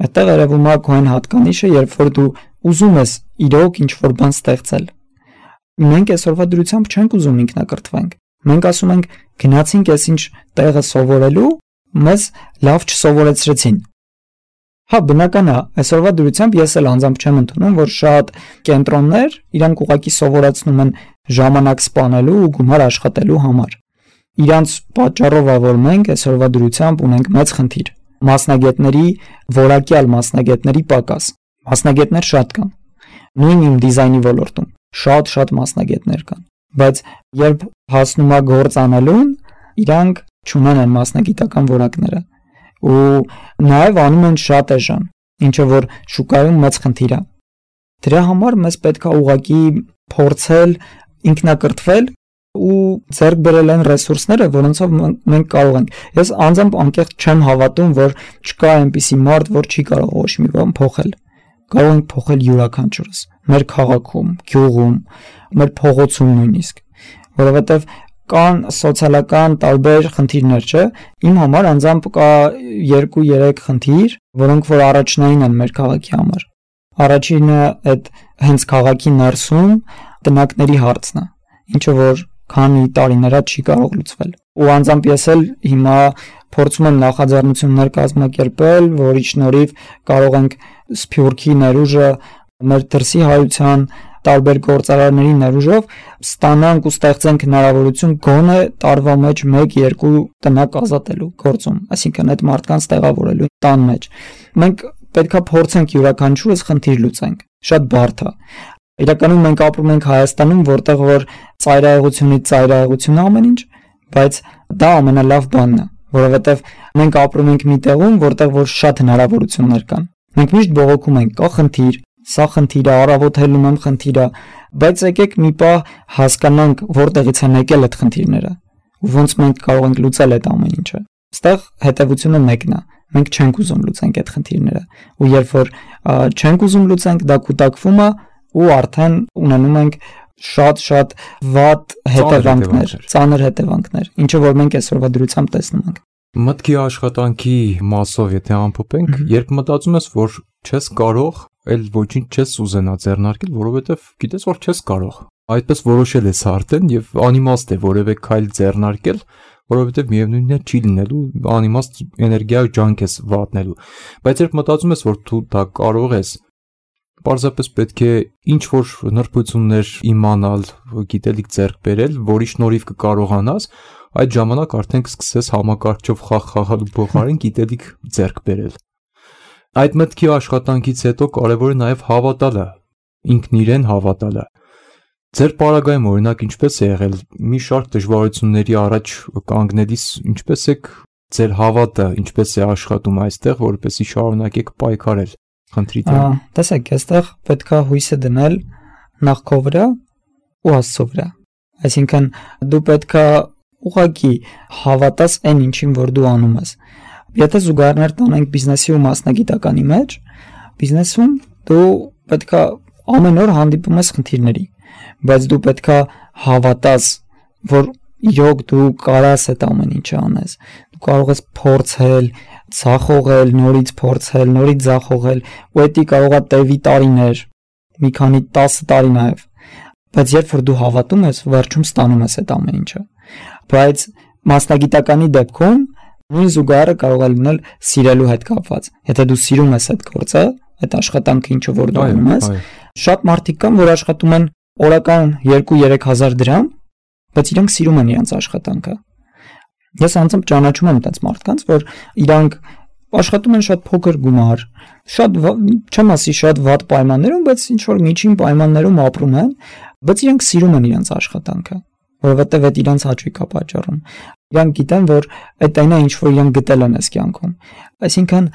այդտեղ երևում է քո այն հատկանիշը, երբ որ դու ուզում ես իրոք ինչ-որ բան ստեղծել։ Մենք այսօրվա դրությամբ չենք ուզում ինքնակրթվենք։ Մենք ասում ենք գնացինք այսինչ տեղը սովորելու, մեզ լավ չսովորեցրեցին։ Հա, բնական է, այսօրվա դրությամբ ես էլ անձամբ չեմ ընդունում, որ շատ կենտրոններ իրանք ուղղակի սովորեցնում են ժամանակ սպանելու ու գումար աշխատելու համար։ Իրանց պատճառով է, որ մենք այսօրվա դրությամբ ունենք մեծ խնդիր։ Մասնագետների, որակյալ մասնագետների պակաս։ Մասնագետներ շատ կան։ Նույն իմ դիզայնի ոլորտում շատ մասնագետներ կան, բայց երբ հասնում է գործ անելուն, իրանք չունեն այն մասնագիտական որակները ու նաև անում են շատ էժան, ինչը որ շուկայում մեծ խնդիր է։ Դրա համար մեզ պետք է ուղղակի փորձել ինքնակրթվել ու ձեռք բերել այն ռեսուրսները, որոնցով մենք կարող ենք։ Ես անձամբ անկեղծ չեմ հավատում, որ չկա այնպիսի մարդ, որ չի կարող ոչ մի բան փոխել։ Կարող ենք փոխել յուրաքանչյուրս, մեր քաղաքում, գյուղում, մեր փողոցում նույնիսկ, որովհետև կան սոցիալական տարբեր խնդիրներ, չէ՞։ Իմ համար անձամբ կա 2-3 խնդիր, որոնք որ առաջնային են մեր քաղաքի համար։ Առաջինը այդ հենց քաղաքի ներսում տնակների հարցն է, ինչը որ քանի տարիներ չի կարող լուծվել։ Ու անձամբ ես էլ հիմա փորձում եմ նախաձեռնություններ կազմակերպել, որի շնորհիվ կարող ենք Սփյուռքի ներուժը մեր դրսի հայության տարբեր գործարարների ներուժով ստանանք ու ստեղծենք հնարավորություն գոնե տարվա մեջ 1-2 տնակ ազատելու գործում, այսինքն այդ մարդկանց տեղավորելու տան մեջ։ Մենք պետքա փորձենք յուրաքանչյուրս խնդիր լուծենք։ Շատ բարդ է։ Իրականում մենք ապրում ենք Հայաստանում, որտեղ որ ծայրահեղությունից ծայրահեղություն ամեն ինչ, բայց դա ամենալավ բանն է, որովհետև մենք ապրում ենք մի տեղում, որտեղ որ շատ հնարավորություններ կան։ Մենք միշտ բողոքում ենք, կա խնդիր, սա խնդիր է, առավոտ հելնում եմ խնդիր է, բայց եկեք մի պահ հասկանանք որտեղից են եկել այդ խնդիրները ու ոնց մենք կարող ենք լուծել այդ ամեն ինչը։ Այստեղ հետևությունը մեկն է, մենք չենք ուզում լուծենք այդ խնդիրները, ու երբ որ չենք ուզում լուծենք, դա կուտակվում է ու արդեն ունենում ենք շատ վատ հետևանքներ, ծանր հետևանքներ, ինչը որ մենք այսօրվա դրությամբ տեսնում ենք։ Մտքի աշխատանքի մասով եթե ամփոփենք, երբ մտածում ես, որ չես կարող, այլ ոչինչ չես ուզենա ձեռնարկել, որովհետև գիտես, որ չես կարող։ Այդպես որոշել ես արդեն եւ անիմաստ է որևէ քայլ ձեռնարկել, որովհետև միևնույնն է չի լինելու, անիմաստ էներգիա ու ջանք ես վատնելու։ Բայց երբ մտածում ես, որ դու դա կարող ես, պարզապես պետք է ինչ-որ նրբություններ իմանալ, գիտելիք ձեռք բերել, որի շնորհիվ կկարողանաս, այդ ժամանակ արդեն կսկսես համակարգչով խաղալու փոխարեն գիտելիք ձեռք բերել։ Այդ մտքի աշխատանքից հետո կարևոր է նաև հավատալը, ինքն իրեն հավատալը։ Ձեր պարագայում օրինակ ինչպես է եղել մի շարք դժվարությունների առաջ կանգնելիս, ինչպես է ձեր հավատը, ինչպես է աշխատում այստեղ, որպեսզի շարունակեք պայքարել խնդրի դեմ։ Տեսեք, այստեղ պետքա հույսը դնել նախ քո վրա ու Աստծո վրա։ Այսինքն դու պետքա ուղղակի հավատաս այն ինչին, որ դու անում ես։ Եթե զուգահեռներ տանենք բիզնեսի ու մասնագիտականի մեջ, բիզնեսում դու պետքա ամեն օր հանդիպում ես խնդիրների, բայց դու պետքա հավատաս, որ իրոք դու կարաս այդ ամեն ինչը անես։ Դու կարող ես փորձել, ցախողել, նորից փորձել, նորից ցախողել, ու դա կարող է տևի տարիներ, մի քանի 10 տարի նաև։ Բայց երբ որ դու հավատում ես, վերջում ստանում ես այդ ամեն ինչը։ Բայց մասնագիտականի դեպքում նույն զուգահեռը կարող է լինել սիրելու հետ կապված։ Եթե դու սիրում ես այդ գործը, այդ աշխատանքը ինչը որ դու անում ես, շատ մարդիկ կան, որ աշխատում են օրական 2-3 հազար դրամ, բայց իրանք սիրում են իրենց աշխատանքը։ Ես անձամբ ճանաչում եմ այդպես մարդկանց, որ իրանք աշխատում են շատ փոքր գումար, շատ չեմ ասի շատ վատ պայմաններում, բայց ինչ որ միջին պայմաններում ապրում են, բայց իրանք սիրում են իրենց աշխատանքը, որովհետև այդ իրանց հաճույք է պատճառում։ Իրանք գիտեն, որ այդ այնա ինչ որ իրանք գտել են այս կյանքում։ Այսինքն,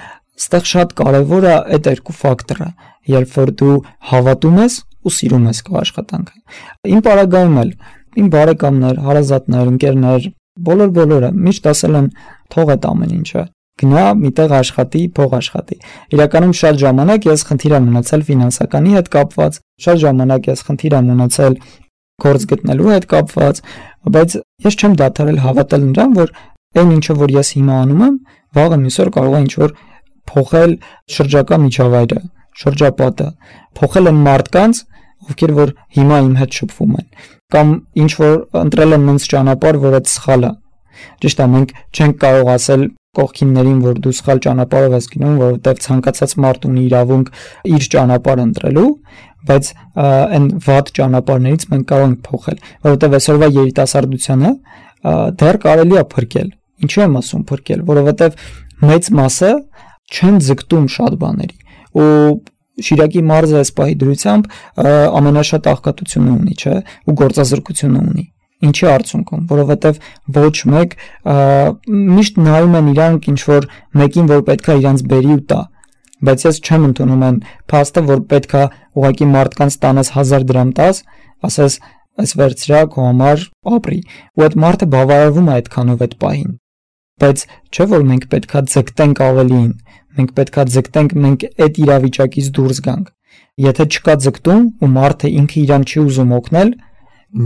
այստեղ շատ կարևոր է այդ երկու ֆակտորը, երբ որ դու հավատում ես ու սիրում ես քո աշխատանքը։ Իմ պարագայում էլ իմ բարեկամներ, հարազատներ, ընկերներ, բոլորը միշտ ասել են թող այդ ամեն ինչը, գնա միտեղ աշխատի, փող աշխատի։ Իրականում շատ ժամանակ ես խնդիր եմ ունեցել ֆինանսականի հետ կապված, շատ ժամանակ ես խնդիր եմ ունեցել գործ գտնելու հետ կապված, բայց ես չեմ դադարել հավատալ նրան, որ այն ինչը որ ես հիմա անում եմ, վաղը մյուսօր կարող է ինչ որ փոխել շրջակա միջավայրը, շրջապատը, փոխել են մարդկանց, ովքեր որ հիմա իմ հետ շփվում են, կամ ինչ որ ընտրել են նենց ճանապարհ, որ այդ սխալ է։ Ճիշտ է, մենք չենք կարող ասել կողքիններին, որ դու սխալ ճանապարհով ես գնում, որովհետև ցանկացած մարդ ունի իրավունք իր ճանապարհը ընտրելու, բայց այն վատ ճանապարհներից մենք կարող ենք փոխել, որովհետև այսօրվա երիտասարդությանը դեռ կարելի է փրկել։ Ինչու եմ ասում փրկել, որովհետև մեծ մասը չեն ձգտում շատ բաների, ու Շիրակի մարզը այս պահի դրությամբ ամենաշատ աղքատությունը ունի, չէ, ու գործազրկությունը ունի։ Ինչի արդյունքում, որովհետև ոչ մեկ միշտ նայում են իրանք ինչ որ մեկին, որ պետքա իրանց բերի ու տա, բայց ես չեմ ընդունում այն փաստը, որ պետքա ուղղակի մարդկանց տանես 1000 դրամ տաս, ասես այս վերցրա քո համար ապրի, ու այդ մարդը բավարարվում է այդքանով այդ պահին։ Բայց չէ որ մենք պետքա ձգտենք ավելին, մենք պետքա ձգտենք մենք այդ իրավիճակից դուրս գանք։ Եթե չկա ձգտում ու մարդը ինքը իրան չի ուզում օգնել,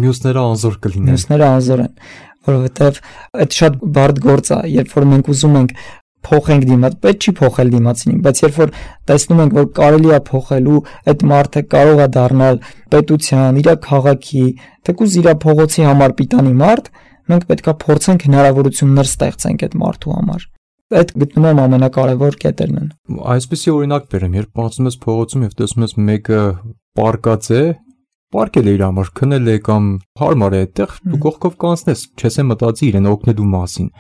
մյուսները անզոր կլինեն։ Մյուսները անզոր են, որովհետև այդ շատ բարդ գործ է, երբ որ մենք ուզում ենք փոխենք դիմաց, պետք չի փոխել դիմացին, բայց երբ որ տեսնում ենք, որ կարելի է փոխել ու այդ մարդը կարող է դառնալ պետության, իր քաղաքի, թեկուզ իր փողոցի համար պիտանի մարդ, մենք պետքա փորձենք հնարավորություններ ստեղծենք այդ մարդու համար։ Այդ գտնում եմ ամենակարևոր կետերն են։ Այսպեսի օրինակ բերեմ, երբ անցնում ես փողոցում եւ տեսնում ես մեկը պարկած է, պարկել է իր համար, քնել է կամ հարմար է այդտեղ, դու կողքով կանցնես, չես մտածի իրեն օգնելու մասին։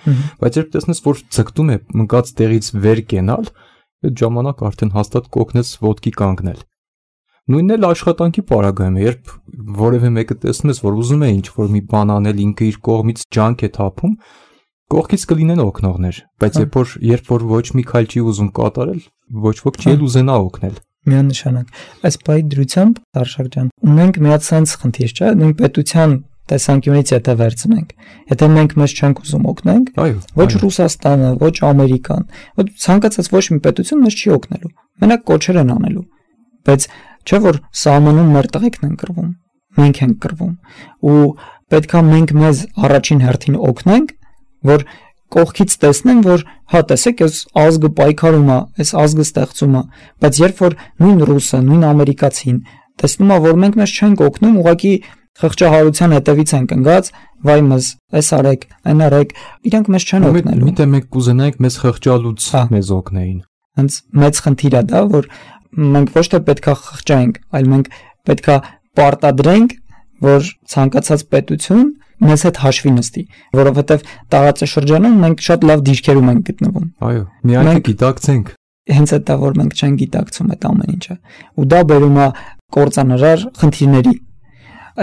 Բայց երբ տեսնես, որ ձգտում է մնաց տեղից վեր կենալ, այդ ժամանակ արդեն հաստատ կօգնես ոտքի կանգնել։ Նույնն էլ աշխատանքի պարագայում է, երբ որևէ մեկը տեսնում ես, որ ուզում է ինչ-որ մի բան անել, ինքը իր կողմից ջանք է թափում, կողքից կլինեն օգնողներ, բայց երբ որ ոչ մի քայլ չի ուզում կատարել, ոչ ոք չի ուզենա օգնել։ Միանշանակ։ Այս պահի դրությամբ, Արշակ ջան, ունենք մի հատ sense խնդիր, չէ՞, նույն պետության տեսանկյունից եթե վերցնենք, եթե մենք մեզ չենք ուզում օգնենք, ոչ Ռուսաստանը, ոչ Ամերիկան, ոչ ցանկացած ոչ մի պետություն մեզ չի օգնելու։ Մենակ կոչեր են անելու։ Բայց չէ՞ որ սահմանում մեր տղեկն են կռվում, մենք ենք կռվում, ու պետքա մենք մեզ առաջին հերթին օգնենք, որ կողքից տեսնեն, որ հա տեսեք, այս ազգը պայքարում է, այս ազգը ստեղծում է, բայց երբ որ նույն ռուսը, նույն ամերիկացին տեսնում է, որ մենք մեզ չենք օգնում, ուղղակի խղճահարության հետևից ենք ընկած, վայ մեզ, այս արեք, այն արեք, իրանք մեզ չեն օգնելու։ Միտը մենք կուզենայինք մեզ խղճալուց մեզ օգնեին։ Հենց մեծ խնդիր է դա, որ մենք ոչ թե պետքա խղճայինք, այլ մենք պետքա պարտադրենք, որ ցանկացած պետություն մեզ հետ հաշվի նստի, որովհետև տարածաշրջանում մենք շատ լավ դիրքերում ենք գտնվում։ Այո, միայն գիտակցենք։ Հենց այդ է, որ մենք չենք գիտակցում այդ ամեն ինչը։ Ու դա բերում է կործանարար խնդիրների։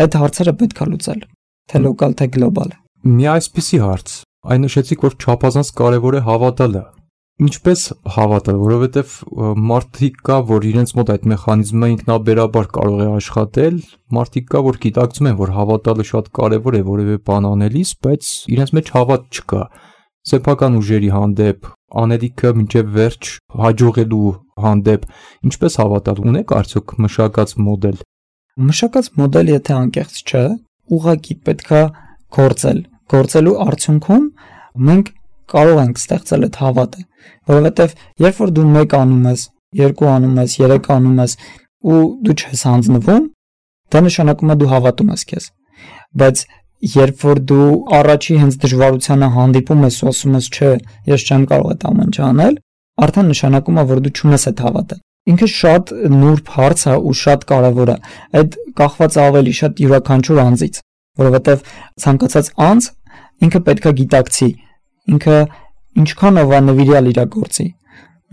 Այդ հարցերը պետք է լուծել, թե լոկալ, թե գլոբալ։ Մի այսպիսի հարց, այն նշեցիք, որ չափազանց կարևոր է հավատալը։ Ինչպես հավատալ, որովհետև մարդիկ կա, որ իրենց մոտ այդ մեխանիզմը ինքնաբերաբար կարող է աշխատել, մարդիկ կա, որ գիտակցում են, որ հավատալը շատ կարևոր է որևէ բան անելիս, բայց իրենց մեջ հավատ չկա։ Սեփական ուժերի հանդեպ, անելիքը մինչև վերջ հաջողելու հանդեպ, ինչպես հավատալ, ունեք արդյոք մշակած մոդել։ Մշակած մոդել, եթե անկեղծ չէ, ուղղակի պետքա գործելու արդյունքում մենք կարող ենք ստեղծել այդ հավատը, որովհետև երբ որ դու 1 անում ես, 2 անում ես, 3 անում ես ու դու չես հանձնվում, դա նշանակում է դու հավատում ես քեզ։ Բայց երբ որ դու առաջի հենց դժվարությանը հանդիպում ես ու ասում ես, չէ, ես չեմ կարող այդ ամեն ինչ անել, արդեն նշանակում է, որ դու չունես այդ հավատը։ Ինքը շատ նուրբ հարց է ու շատ կարևոր է։ Այդ կախված ավելի շատ յուրաքանչյուր անձից, որովհետև ցանկացած անձ ինքը պետքա գիտակցի, ինքը ինչքանով է նվիրյալ իր գործի,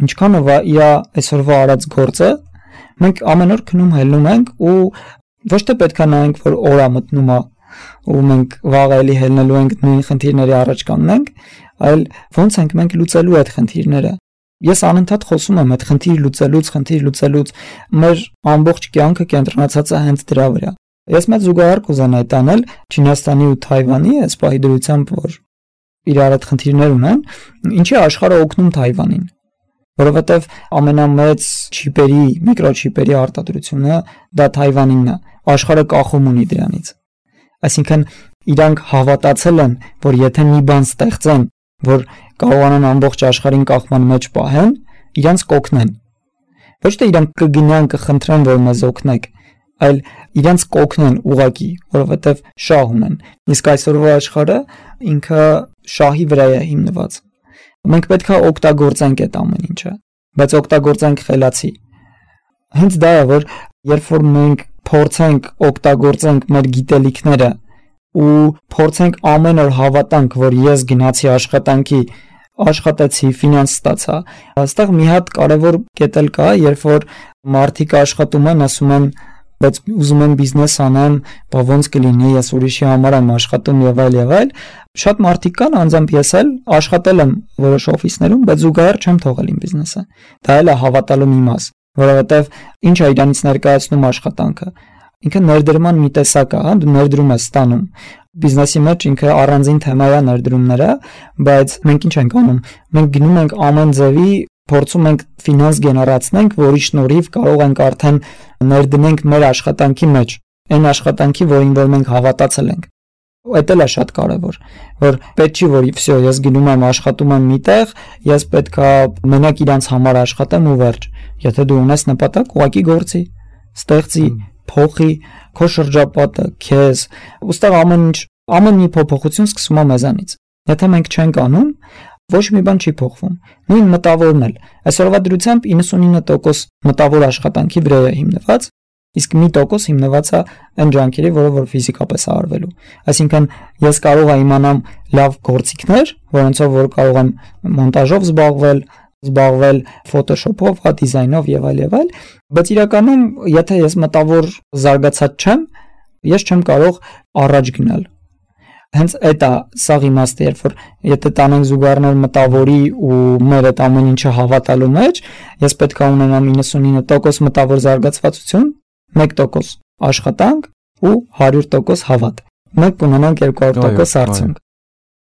ինչքանով է իր այսօրվա արած գործը, մենք ամեն օր քնում հելնում ենք ու ոչ թե պետքա նայենք, որ օրա մտնում է ու մենք վաղ էլի հելնելու ենք նույն խնդիրների առաջ կանգնենք, այլ ոնց ենք մենք լուծելու այդ խնդիրները։ Ես անընդհատ խոսում եմ այդ խնդիր լուծելուց, մեր ամբողջ կյանքը կենտրոնացած է հենց դրա վրա։ Ես մեծ զուգահեռ կուզենայի տանել Չինաստանի ու Թայվանի, այս պահի դրությամբ, որ իրար այդ խնդիրներ ունեն, ինչի աշխարհը օգնում Թայվանին, որովհետև ամենամեծ չիպերի, միկրոչիպերի արտադրությունը դա Թայվանինն է, աշխարհը կախում ունի դրանից։ Այսինքն իրանք հավատացել են, որ եթե մի բան ստեղծեն, որ կարողանան ամբողջ աշխարհին կախման մեջ պահեն, իրանց կօգնեն։ Ոչ թե իրանք կգնան կխնդրեն, որ մեզ օգնեք, այլ իրանց կօգնեն ուղղակի, որովհետև շահ ունեն։ Իսկ այսօրվա աշխարհը ինքը շահի վրա է հիմնված։ Մենք պետք է օգտագործենք այդ ամեն ինչը, բայց օգտագործենք խելացի։ Հենց դա է, որ երբ որ մենք փորձենք օգտագործենք մեր գիտելիքները ու փորձենք ամեն օր հավատանք, որ ես գնացի աշխատանքի, աշխատեցի, ֆինանս ստացա, այստեղ մի հատ կարևոր կետ էլ կա, երբ որ մարդիկ աշխատում են, ասում են, բայց ուզում եմ բիզնես անեմ, բա ոնց կլինի, ես ուրիշի համար եմ աշխատում եւ այլ, շատ մարդիկ կան, անձամբ ես էլ աշխատել եմ որոշ օֆիսներում, բայց զուգահեռ չեմ թողել իմ բիզնեսը։ Դա էլ է հավատալու մի մաս, որովհետեւ ինչ է իրանից ներկայացնում աշխատանքը։ Ինքը ներդրման մի տեսակ է, դու ներդրում ես ստանում։ Բիզնեսի մեջ ինքը առանձին թեմա է ներդրումները, բայց մենք ինչ ենք անում։ Մենք գնում ենք ամեն ձևի, փորձում ենք ֆինանս գեներացնենք, որի շնորհիվ կարող ենք արդեն ներդնենք մեր աշխատանքի մեջ, այն աշխատանքի, որին որ մենք հավատացել ենք։ Այդ էլ է շատ կարևոր, որ պետք չի, որ վсё, ես գնում եմ աշխատում եմ միտեղ, ես պետքա մենակ իրանց համար աշխատեմ ու վերջ։ Եթե դու ունես նպատակ, ուղղակի գործի, ստեղծի, փոխի քո շրջապատը, քեզ, ուստեղ ամեն մի փոփոխություն սկսում է մեզանից։ Եթե մենք չենք անում, ոչ մի բան չի փոխվում։ Նույն մտավորն էլ։ Այսօրվա դրությամբ 99% մտավոր աշխատանքի վրա է հիմնված, իսկ 1% հիմնված է այն ջանքերի, որը որ ֆիզիկապես է արվելու։ Այսինքն ես կարող եմ իմանամ լավ գործիքներ, որոնցով որ կարող եմ մոնտաժով զբաղվել Photoshop-ով, դիզայնով եւ այլ, բայց իրականում եթե ես մտավոր զարգացած չեմ, ես չեմ կարող առաջ գնալ։ Հենց այդ է սաղ իմաստը, երբ որ եթե տանենք զուգահեռներ մտավորի ու մեր այդ ամեն ինչը հավատալու մեջ, ես պետք է ունենամ 99% մտավոր զարգացվածություն, 1% աշխատանք ու 100% հավատ։ Մենք ունենանք 200% արդյունք։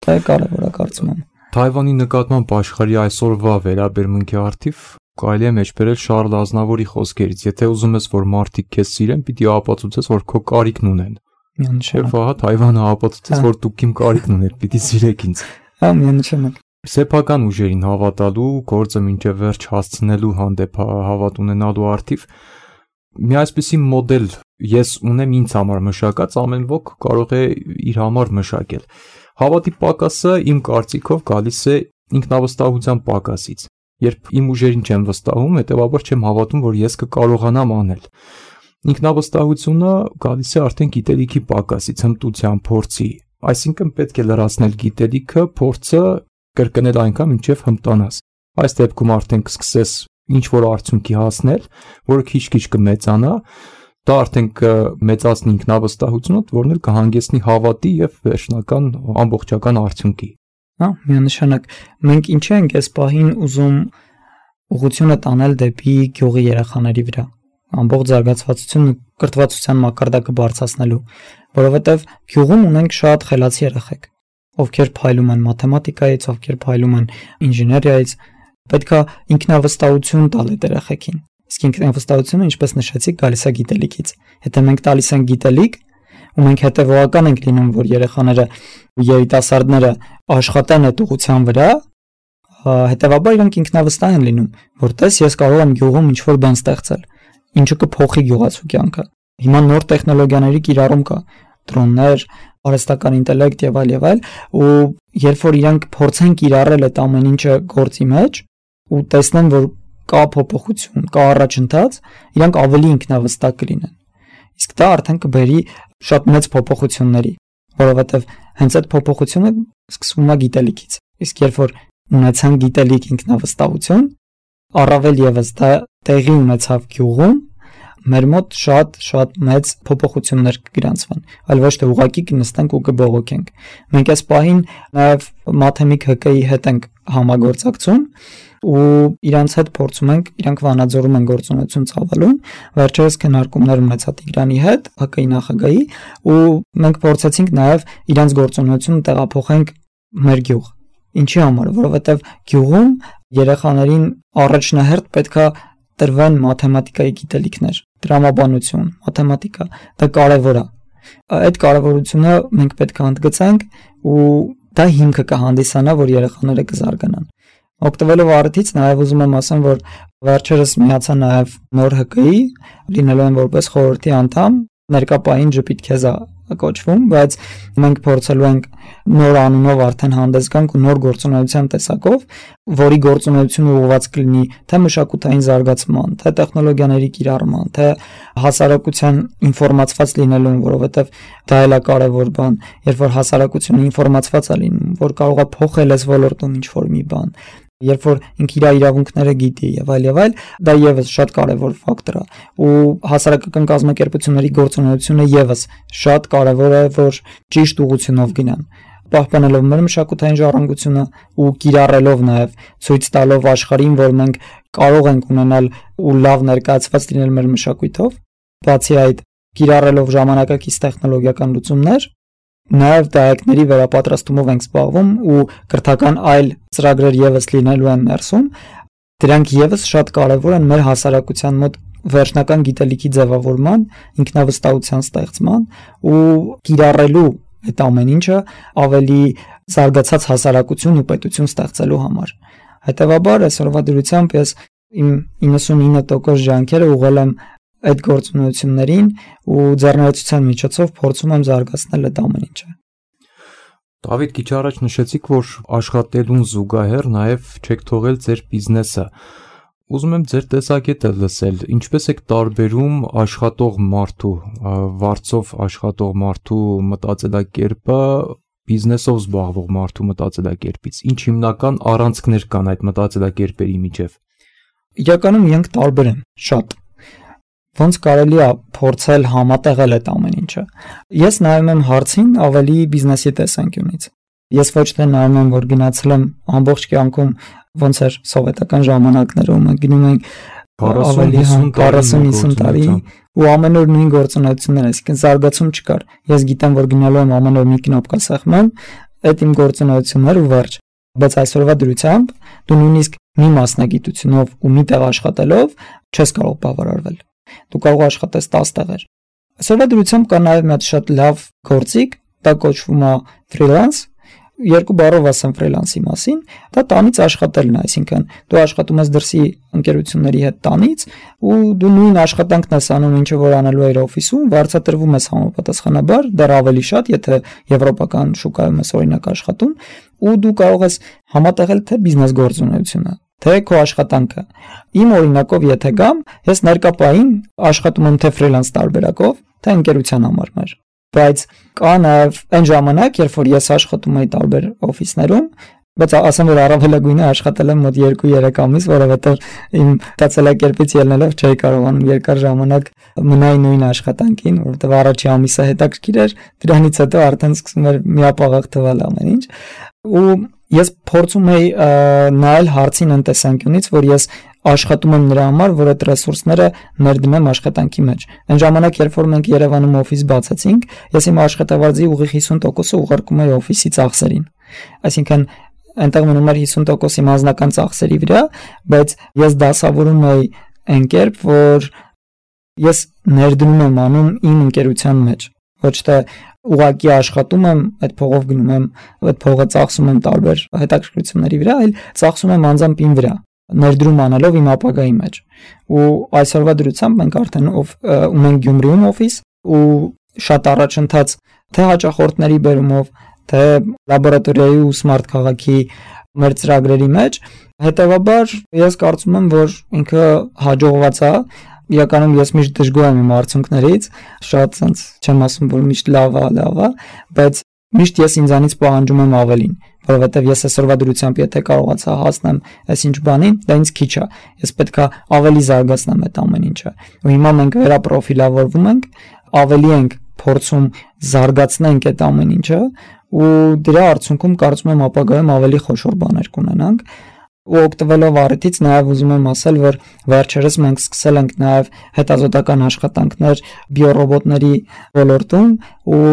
Դա կարևոր է կարծում եմ։ Թայվանի նկատմամբ աշխարհի այսօրվա վերաբերմունքի արդիվ կարելի է մեջբերել Շարլ Ազնավուրի խոսքերից. եթե ուզում ես, որ մարդիկ քեզ սիրեն, պիտի ապացուցես, որ քո կարիքն ունեն։ Եվ ահա Թայվանը ապացուցեց, որ դուք իմ կարիքն ունեք, պիտի սիրեք ինձ։ Հա, միանշանակ։ Սեփական ուժերին հավատալու, գործը մինչև վերջ հասցնելու հանդեպ հավատ ունենալու արդիվ մի այսպիսի մոդել ես ունեմ ինձ համար մշակած, ամեն ոք կարող է իր համար մշակել։ Հավատի պակասը իմ կարծիքով գալիս է ինքնավստահության պակասից։ Երբ իմ ուժերին չեմ վստահում, հետեւաբար չեմ հավատում, որ ես կկարողանամ անել։ Ինքնավստահությունը գալիս է արդեն գիտելիքի պակասից, հմտության, փորձի։ Այսինքն պետք է լրացնել գիտելիքը, փորձը կրկնել այնքան, մինչև հմտանաս։ Այս դեպքում արդեն կսկսես ինչ-որ արդյունքի հասնել, որը քիչ-քիչ կմեծանա, դա արդեն կմեծացնի ինքնավստահությունդ, որն էլ կհանգեցնի հավատի եւ վերջնական ամբողջական արդյունքի։ Հա, միանշանակ։ Մենք ինչի ենք այս պահին ուզում ուղղությունը տանել դեպի գյուղի երեխաների վրա, ամբողջ զարգացվածությունը կրթվածության մակարդակը բարձրացնելու, որովհետեւ գյուղում ունենք շատ խելացի երեխեք, ովքեր փայլում են մաթեմատիկայից, ովքեր փայլում են ինժեներիայից, պետք է ինքնավստահություն տալ այդ երեխեքին։ Իսկ ինքնավստահությունը, ինչպես նշեցիք, գալիս է գիտելիքից։ Եթե մենք տալիս ենք գիտելիք, ու մենք հետևողական ենք լինում, որ երեխաները ու երիտասարդները աշխատեն այդ ուղղության վրա, հետևաբար իրենք ինքնավստահ են լինում, որ տես ես կարող եմ գյուղում ինչ-որ բան ստեղծել, ինչը կփոխի գյուղացու կյանքը։ Հիմա նոր տեխնոլոգիաների կիրառում կա, դրոններ, արհեստական ինտելեկտ եւ այլ, ու երբ որ իրենք փորձեն կիրառել այդ ամեն ինչը գործի մեջ ու տեսնեն, որ կա փոփոխություն, կա առաջընթաց, իրանք ավելի ինքնավստահ կլինեն։ Իսկ դա արդեն կբերի շատ մեծ փոփոխությունների, որովհետև հենց այդ փոփոխությունը սկսվում է գիտելիքից։ Իսկ երբ որ ունեցան գիտելիք ինքնավստահություն, առավել եւս դա տեղի ունեցավ գյուղում, մեր մոտ շատ մեծ փոփոխություններ կգրանցվեն, այլ ոչ թե ուղակի կնստենք ու կբողոքենք։ Մենք այս պահին նաեւ Մաթեմիկ ՀԿ-ի հետ ենք համագործակցում ու իրանց հետ փորձում ենք, իրանք վանաձորում են գործունեություն ծավալում, վերջերս քննարկումներ ունեցա Տիգրանի հետ, ՀԿ-ի նախագահի, ու մենք փորձեցինք նաև իրանց գործունեությունը տեղափոխենք մեր գյուղ։ Ինչի համար, որովհետև գյուղում երեխաներին առաջնահերթ պետքա տրվեն մաթեմատիկայի գիտելիքներ, տրամաբանություն, մաթեմատիկա, դա կարևոր է։ Այդ կարևորությունը մենք պետք է ընդգծենք ու դա հիմքը կհանդիսանա, որ երեխաները կզարգանան։ Օգտվելով առիթից նաև ուզում եմ ասեմ, որ վերջերս միացա նաև նոր ՀԿ-ի, լինելու են որպես խորհրդի անդամ, ներկա պահին Ժպիտ Քեզա կոչվում, բայց մենք փորձելու ենք նոր անունով արդեն հանդես գանք ու նոր գործունեության տեսակով, որի գործունեությունը ուղղված կլինի թե մշակութային զարգացման, թե տեխնոլոգիաների կիրառման, թե հասարակության ինֆորմացված լինելուն, որովհետև դա էլ է կարևոր բան, երբ որ հասարակությունը ինֆորմացված է լինում, որ կարող է փոխել այս ոլորտում ինչ-որ մի բան, երբ որ ինքը իր իրավունքները գիտի եւ այլ, դա եւս շատ կարեւոր ֆակտոր է ու հասարակական կազմակերպությունների գործունեությունը եւս շատ կարեւոր է, որ ճիշտ ուղղությունով գնան, պահպանելով մեր մշակութային ժառանգությունը ու կիրառելով նաեւ ցույց տալով աշխարհին, որ մենք կարող ենք ունենալ ու լավ ներկայացված լինել մեր մշակույթով, բացի այդ կիրառելով ժամանակակից տեխնոլոգիական լուծումներ, նաև դայակների վերապատրաստումով ենք զբաղվում ու կրթական այլ ծրագրեր եւս լինելու են ներսում, դրանք եւս շատ կարեւոր են մեր հասարակության մոտ վերջնական գիտելիքի ձևավորման, ինքնավստահության ստեղծման ու կիրառելու այդ ամեն ինչը ավելի զարգացած հասարակություն ու պետություն ստեղծելու համար։ Հետևաբար այսօրվա դրությամբ ես իմ 99% ջանքերը ուղղել եմ այդ գործունեություններին ու ձեռնարկության միջոցով փորձում եմ զարգացնել այդ ամեն ինչը։ Դավիթ, քիչ առաջ նշեցիք, որ աշխատելուն զուգահեռ նաև չեք թողել ձեր բիզնեսը։ Ուզում եմ ձեր տեսակետը լսել, ինչպես եք տարբերում աշխատող մարդու, վարձով աշխատող մարդու մտածելակերպը բիզնեսով զբաղվող մարդու մտածելակերպից։ Ինչ հիմնական առանցքներ կան այդ մտածելակերպերի միջև։ Իրականում իրենք տարբեր են, շատ։ Ոնց կարելի է փորձել համատեղել այդ ամեն ինչը։ Ես նայում եմ հարցին ավելի բիզնեսի տեսանկյունից։ Ես ոչ թե նայում եմ, որ գնացել եմ ամբողջ կյանքում ոնց էր սովետական ժամանակներում, մենք գնում ենք 40-50 տարի ու ամեն օր նույն գործունեություններ, այսինքն զարգացում չկար։ Ես գիտեմ, որ գնալու եմ ամեն օր մի կնոպկա սեղմեմ, այդ իմ գործունեություններ ու վերջ։ Բայց այսօրվա դրությամբ դու նույնիսկ մի մասնագիտությունով ու մի տեղ աշխատելով չես կարող բավարարվել։ Դու կարող աշխատես 10 տեղեր։ Այսօրվա դրությամբ կա նաև մի հատ շատ լավ գործիք, դա կոչվում է ֆրիլանս։ Երկու բառով ասեմ ֆրիլանսի մասին, դա տանից աշխատելն է, այսինքն դու աշխատում ես դրսի ընկերությունների հետ տանից ու դու նույն աշխատանքն ես անում, ինչը որ անելու էր օֆիսում, վարձատրվում ես համապատասխանաբար, դեռ ավելի շատ, եթե եվրոպական շուկայում ես օրինակ աշխատում, ու դու կարող ես համատեղել թե բիզնես գործունեությունը, թե քո աշխատանքը։ Իմ օրինակով եթե գամ, ես ներկապային աշխատում եմ թե ֆրիլանս տարբերակով, թե ընկերության համար մեր։ Բայց կա նաև այն ժամանակ, երբ որ ես աշխատում էի տարբեր օֆիսներում, բայց ասեմ, որ առավելագույնը աշխատել եմ մոտ 2-3 ամիս, որովհետև իմ մտածելակերպից ելնելով չէի կարողանում երկար ժամանակ մնալ նույն աշխատանքին, որովհետև առաջի ամիսը հետաքրքիր էր, դրանից հետո արդեն սկսում էր միապաղաղ թվալ ամեն ինչ։ Ու ես փորձում էի նայել հարցին այն տեսանկյունից, որ ես աշխատում եմ նրա համար, որ այդ ռեսուրսները ներդնեմ աշխատանքի մեջ։ Այն ժամանակ, երբ որ մենք Երևանում օֆիս բացեցինք, ես իմ աշխատավարձի ուղիղ 50%-ը ուղարկում էի օֆիսի ծախսերին։ Այսինքն այնտեղ մնում էր 50% իմ անձնական ծախսերի վրա, բայց ես դասավորում էի այն կերպ, որ ես ներդնում եմ անում իմ ընկերության մեջ, ոչ թե ուղղակի աշխատում եմ, այդ փողով գնում եմ, այդ փողը ծախսում եմ տարբեր հետաքրքրությունների վրա, այլ ծախսում եմ անձամբ իմ վրա, ներդրում անելով իմ ապագայի մեջ։ Ու այսօրվա դրությամբ մենք արդեն ունենք Գյումրիում օֆիս ու շատ առաջընթաց թե հաճախորդների բերումով, թե լաբորատորիայի ու սմարթ քաղաքի մեր ծրագրերի մեջ, հետևաբար ես կարծում եմ, որ ինքը հաջողված է։ Իրականում ես միշտ դժգոհ եմ իմ արդյունքներից, շատ sense չեմ ասում, որ միշտ լավ է, բայց միշտ ես ինձանից պահանջում եմ ավելին, որովհետև ես այսօրվա դրությամբ եթե կարողացա հասնեմ այսինչ բանին, դա ինձ քիչ է։ Ես պետք է ավելի զարգացնեմ այդ ամեն ինչը։ Ու հիմա մենք վերապրոֆիլավորվում ենք, ավելի ենք փորձում զարգացնենք այդ ամեն ինչը, ու դրա արդյունքում կարծում եմ ապագայում ավելի խոշոր բաներ կունենանք։ Ու օգտվելով առիթից նաև ուզում եմ ասել, որ վերջերս մենք սկսել ենք նաև հետազոտական աշխատանքներ բիոռոբոտների ոլորտում ու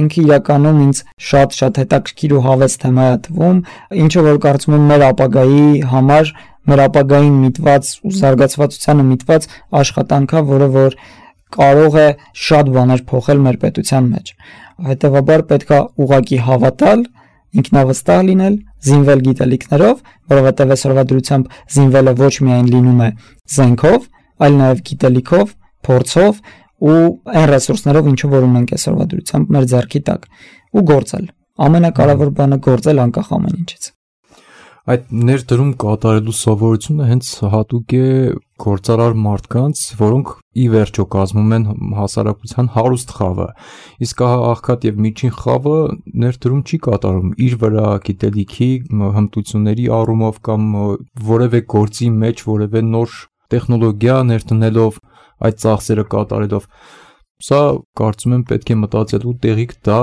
ինքը իրականում ինձ շատ հետաքրքիր ու հավես թեմա է թվում, ինչը որ կարծում եմ մեր ապագայի համար, մեր ապագային միտված ու զարգացվածությանը միտված աշխատանք է, որը որ կարող է շատ բաներ փոխել մեր պետության մեջ։ Հետևաբար պետք է ուղղակի հավատալ, ինքնավստահ լինել, զինվել գիտելիքներով, որովհետև այսօրվա դրությամբ զինվելը ոչ միայն լինում է զենքով, այլ նաև գիտելիքով, փորձով ու այն ռեսուրսներով, ինչը որ ունենք այսօրվա դրությամբ մեր ձեռքի տակ, ու գործել։ Ամենակարևոր բանը գործել անկախ ամեն ինչից։ Այդ ներդրում կատարելու սովորությունը հենց հատուկ է գործարար մարդկանց, որոնք ի վերջո կազմում են հասարակության հարուստ խավը, իսկ աղքատ եւ միջին խավը ներդրում չի կատարում իր վրա գիտելիքի հմտությունների առումով կամ որևէ գործի մեջ որևէ նոր տեխնոլոգիա ներդնելով այդ ծախսերը կատարելով։ Սա կարծում եմ պետք է մտածելու տեղիք դա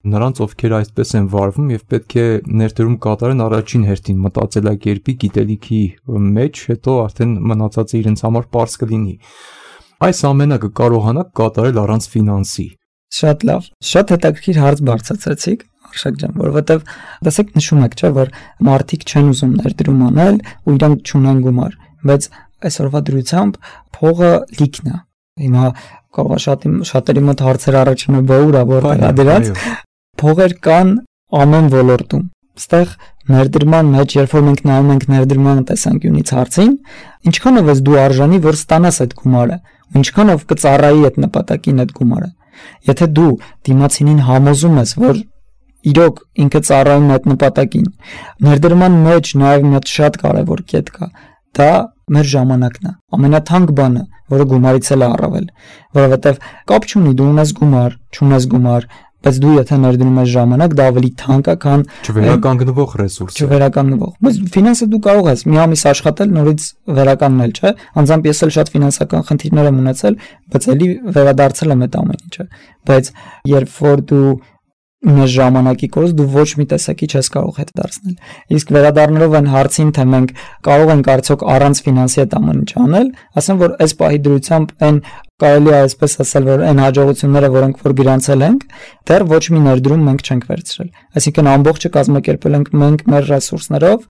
նրանց, ովքեր այսպես են վարվում եւ պետք է ներդրում կատարեն առաջին հերթին մտածելակերպի գիտելիքի մեջ, հետո արդեն մնացածը իրենց համար པարզ կլինի։ Այս ամենը կկարողանաք կատարել առանց ֆինանսի։ Շատ լավ, շատ հետաքրքիր հարց բարձրացրեցիք, Արշակ ջան, որովհետեւ դասեք նշում եք, չէ՞, որ մարդիկ չեն ուզում ներդրում անել ու իրանք չունեն գումար, բայց այսօրվա դրությամբ փողը լիքն է։ Հիմա կարող է շատերի մոտ հարցեր առաջանա բաուրա, որտեղ է դրած։ Փողեր կան ամեն ոլորտում։ Այստեղ ներդրման մեջ, երբ որ մենք նայում ենք ներդրման տեսանկյունից հարցին, ինչքանով ես դու արժանի, որ ստանաս այդ գումարը, ու ինչքանով կծառայի այդ նպատակին այդ գումարը։ Եթե դու դիմացինին համոզում ես, որ իրոք ինքը ծառայում է այդ նպատակին։ Ներդրման մեջ նաև մի հատ շատ կարևոր կետ կա։ Դա մեր ժամանակն է։ Ամենաթանկ բանը, որը գումարից էլ է առավել, որովհետև կապ չունի դու ունես գումար, չունես գումար, բայց դու եթե ներդնում ես ժամանակ, դա ավելի թանկ է, քան չվերականգնվող ռեսուրս։ Չվերականգնվող։ Բայց ֆինանսը դու կարող ես մի ամիս աշխատել, նորից վերականգնել, չէ՞։ Անձամբ ես էլ շատ ֆինանսական խնդիրներ եմ ունեցել, բայց էլի վերադարձել եմ այդ ամեն ինչը։ Բայց երբ որ դու ունես ժամանակի կորուստ, դու ոչ մի տեսակի չես կարող հետ դարձնել։ Իսկ վերադառնալով այն հարցին, թե մենք կարող ենք արդյոք առանց ֆինանսի այդ ամեն ինչ անել, ասեմ, որ այս պահի դրությամբ այն կարելի է այսպես ասել, որ այն հաջողությունները, որոնք որ գրանցել ենք, դեռ ոչ մի ներդրում մենք չենք վերցրել։ Այսինքն ամբողջը կազմակերպել ենք մենք մեր ռեսուրսներով,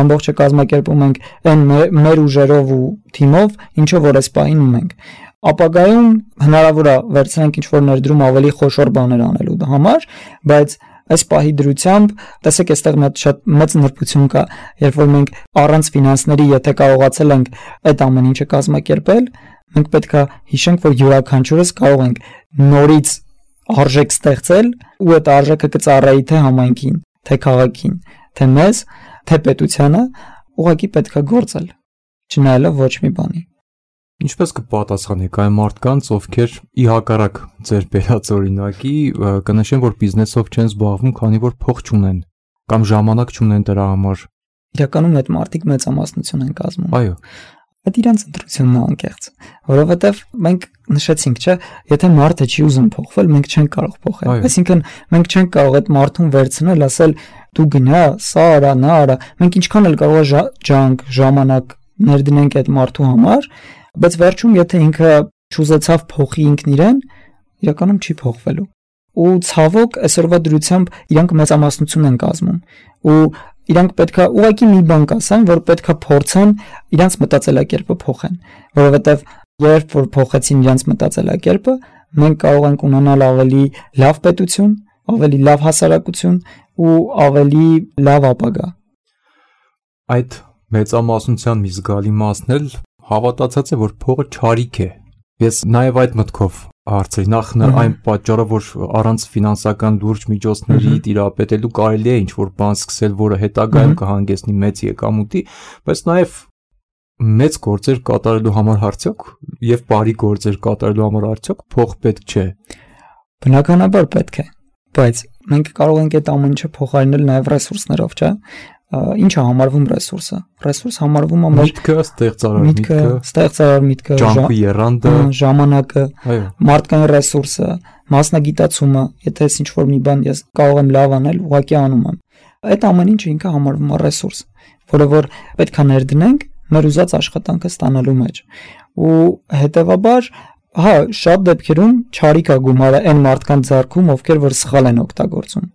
ամբողջը կազմակերպում ենք այն մեր ուժերով ու թիմով, ինչը որ այս պահին ունենք։ Ապագայում հնարավոր է վերցնենք ինչ-որ ներդրում ավելի խոշոր բաներ անելու համար, բայց այս պահի դրությամբ, տեսեք, այստեղ մի շատ մեծ նրբություն կա, երբ որ մենք առանց ֆինանսների, եթե կարողացել ենք այդ ամեն ինչը կազմակերպել, մենք պետք է հիշենք, որ յուրաքանչյուրս կարող ենք նորից արժեք ստեղծել, ու այդ արժեքը կծառայի թե համայնքին, թե քաղաքին, թե մեզ, թե պետությանը, ուղղակի պետք է գործել, չնայելով ոչ մի բանի։ Ինչպես կպատասխանեք այն մարդկանց, ովքեր ի հակառակ ձեր բերած օրինակի կնշեն, որ բիզնեսով չեն զբաղվում, քանի որ փող չունեն կամ ժամանակ չունեն դրա համար։ Իրականում այդ մարդիկ մեծամասնություն են կազմում։ Այո։ Այդ իրանց ընտրությունն է անկեղծ, որովհետև մենք նշեցինք, չէ, եթե մարդը չի ուզում փոխվել, մենք չենք կարող փոխել։ Այսինքն մենք չենք կարող այդ մարդուն վերցնել, ասել դու գնա, սա արա, նա արա։ Մենք ինչքան էլ կարող է ջանք, ժամանակ ներդնենք այդ մարդու համար, բայց վերջում եթե ինքը չուզեցավ փոխի ինքն իրեն, իրականում չի փոխվելու։ Ու ցավոք այսօրվա դրությամբ իրանք մեծամասնություն են կազմում ու իրանք պետքա ուղղակի մի բան կասեն, որ պետքա փորձեն իրանց մտածելակերպը փոխեն, որովհետև երբ որ փոխեցին իրանց մտածելակերպը, մենք կարող ենք ունենալ ավելի լավ պետություն, ավելի լավ հասարակություն ու ավելի լավ ապագա։ Այդ մեծամասնության մի զգալի մասն էլ հավատացած է, որ փողը չարիք է։ Ես նաև այդ մտքով հարցրի, նախ այն պատճառը, որ առանց ֆինանսական լուրջ միջոցների տիրապետելու կարելի է ինչ-որ բան սկսել, որը հետագայում կհանգեցնի մեծ եկամուտի, բայց նաև մեծ գործեր կատարելու համար արդյոք եւ բարի գործեր կատարելու համար արդյոք փող պետք չէ։ Բնականաբար պետք է, բայց մենք կարող ենք այդ ամեն ինչը փոխարինել նաև ռեսուրսներով, չէ՞։ Ինչ է համարվում ռեսուրսը։ Ռեսուրս համարվում է միտքը, ստեղծարար միտքը, ջանքի եռանդը, ժամանակը, մարդկային ռեսուրսը, մասնագիտացումը, եթե ես ինչ-որ մի բան ես կարող եմ լավ անել, ուղղակի անում եմ։ Այդ ամեն ինչը ինքը համարվում է ռեսուրս, որը որ պետք է ներդնենք մեր ուզած աշխատանքը ստանալու մեջ։ Ու հետևաբար, հա, շատ դեպքերում չարիք է գումարը այն մարդկանց ձեռքում, ովքեր որ սխալ են օգտագործում։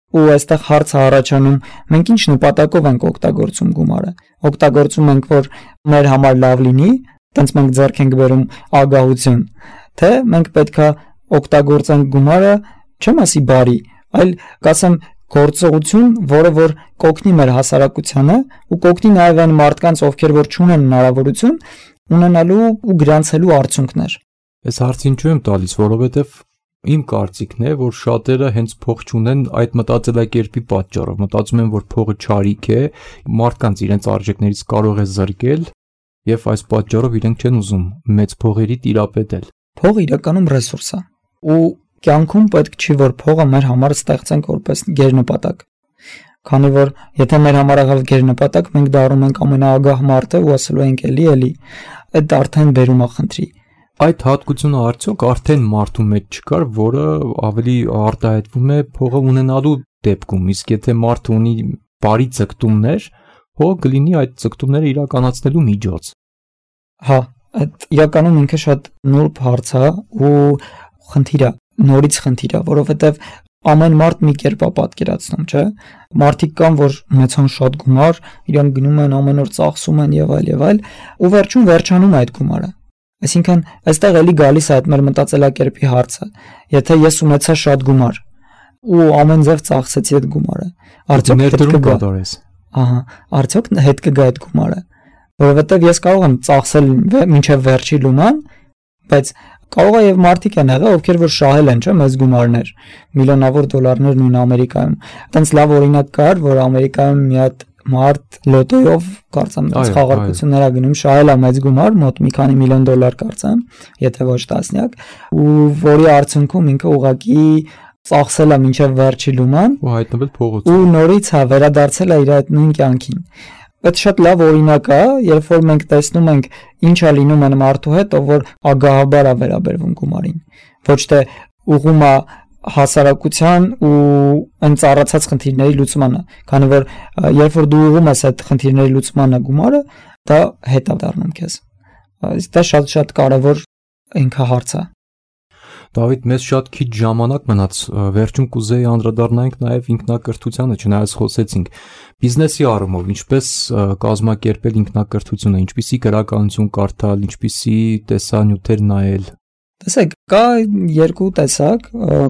Ու այստեղ հարցը առաջանում, մենք ինչ նպատակով ենք օգտագործում գումարը։ Օգտագործում ենք, որ մեր համար լավ լինի, տենց մենք ձեռք ենք բերում ագահություն, թե մենք պետքա օգտագործենք գումարը, չեմ ասի բարի, այլ կասեմ գործողություն, որը որ կօգնի մեր հասարակությանը ու կօգնի նաև այն մարդկանց, ովքեր որ չունեն հնարավորություն ունենալու ու գրանցելու արդյունքներ։ Այս հարցը ինչու եմ տալիս, որովհետև իմ կարծիքն է, որ շատերը հենց փող չունեն այդ մտածելակերպի պատճառով, մտածում են, որ փողը չարիք է, մարդկանց իրենց արժեքներից կարող է զրկել եւ այս պատճառով իրենք չեն ուզում մեծ փողերի տիրապետել։ Փողը իրականում ռեսուրս է ու կյանքում պետք չի, որ փողը մեր համար ստեղծենք որպես գերնպատակ։ Քանի որ եթե մեր համար աղավ գերնպատակ, մենք դառնում ենք ամենաագահ մարդը ու ասելու ենք էլի, այդ արդեն բերում է խնդրի։ Այդ հատկությունը արդյոք արդեն մարդու մեջ չկար, որը ավելի արտահայտվում է փողը ունենալու դեպքում, իսկ եթե մարդը ունի բարի ձգտումներ, փողը կլինի այդ ձգտումները իրականացնելու միջոց։ Հա, այդ իրականում ինքը շատ նուրբ հարց է ու խնդիր է, նորից խնդիր է, որովհետև ամեն մարդ մի կերպ է պատկերացնում, չէ՞։ Մարդիկ կան, որ ունեցան շատ գումար, իրանք գնում են ամեն օր ծախսում են եւ այլ, ու վերջում վերջանում է այդ գումարը։ Այսինքն, այստեղ էլի գալիս է այդ մեր մտածելակերպի հարցը։ Եթե ես ունեցա շատ գումար ու ամեն ձև ծախսեցի այդ գումարը, արդյոք հետ կգա։ Ահա, արդյոք հետ կգա այդ գումարը, որովհետև ես կարող եմ ծախսել մինչև վերջի լուման, բայց Կարող է եւ մարդիկ են եղել, ովքեր որ շահել են, չէ՞, մեծ գումարներ, միլիոնավոր դոլարներ նույն Ամերիկայում։ Այդտենց լավ օրինակ կար, որ Ամերիկայում մի հատ մարդ լոտոյով կարծեմ խաղարկություններ ա գնում, շահել է մեծ գումար, մոտ մի քանի միլիոն դոլար կարծեմ, եթե ոչ տասնյակ, ու որի արդյունքում ինքը ուղղակի ծախսել է մինչև վերջի լուման ու հայտնվել փողոցում։ Ու նորից վերադարձել է իր այդ նույն կյանքին։ Այդ շատ լավ օրինակ է, երբ որ մենք տեսնում ենք ինչ է լինում այն մարդու հետ, ով որ ագահաբար է վերաբերվում գումարին։ Ոչ թե ուղղում է հասարակության ու այն ծառացած խնդիրների լուծմանը, քանի որ երբ որ դու ուղղում ես այդ խնդիրների լուծմանը գումարը, դա հետ է դառնում քեզ։ Դա շատ կարևոր ինքը հարց է։ Դավիթ, մեզ շատ քիչ ժամանակ մնաց, վերջում կուզեի անդրադառնանք նաև ինքնակրթությանը, չնայած խոսեցինք բիզնեսի առումով, ինչպես կազմակերպել ինքնակրթությունը, ինչպիսի գրականություն կարդալ, ինչպիսի տեսանյութեր նայել։ Տեսեք, կա երկու տեսակ,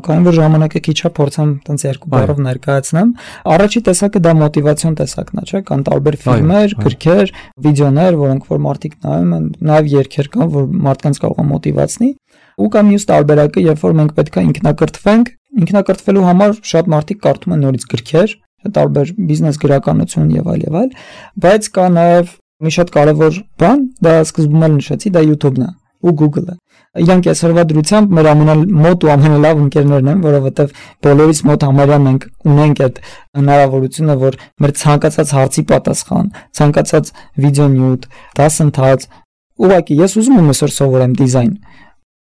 քանի որ ժամանակը քիչ է, փորձեմ տենց երկու բառով ներկայացնեմ։ Առաջի տեսակը դա մոտիվացիոն տեսակն է, չէ՞, կան տարբեր ֆիլմեր, գրքեր, վիդեոներ, որոնք որ մարդիկ նայում են, նաև երգեր կան, որ մարդկանց կարող է մոտիվացնի։ Ու կա մյուս տարբերակը, երբ որ մենք պետք է ինքնակրթվենք, ինքնակրթվելու համար շատ մարդիկ կարդում են նորից գրքեր, տարբեր բիզնես գրականություն եւ այլ, բայց կա նաեւ մի շատ կարևոր բան, դա սկզբում էլ նշեցի, դա YouTube-ն է ու Google-ը։ Իրանք այսօրվա դրությամբ մեր ամենամոտ ու ամենալավ ընկերներն են, որովհետեւ բոլորից մոտ համարյա մենք ունենք այդ հնարավորությունը, որ մեր ցանկացած հարցի պատասխան, ցանկացած վիդեոնյութ, դասընթաց, ուղղակի ես ուզում եմ այսօր սովորեմ դիզայն,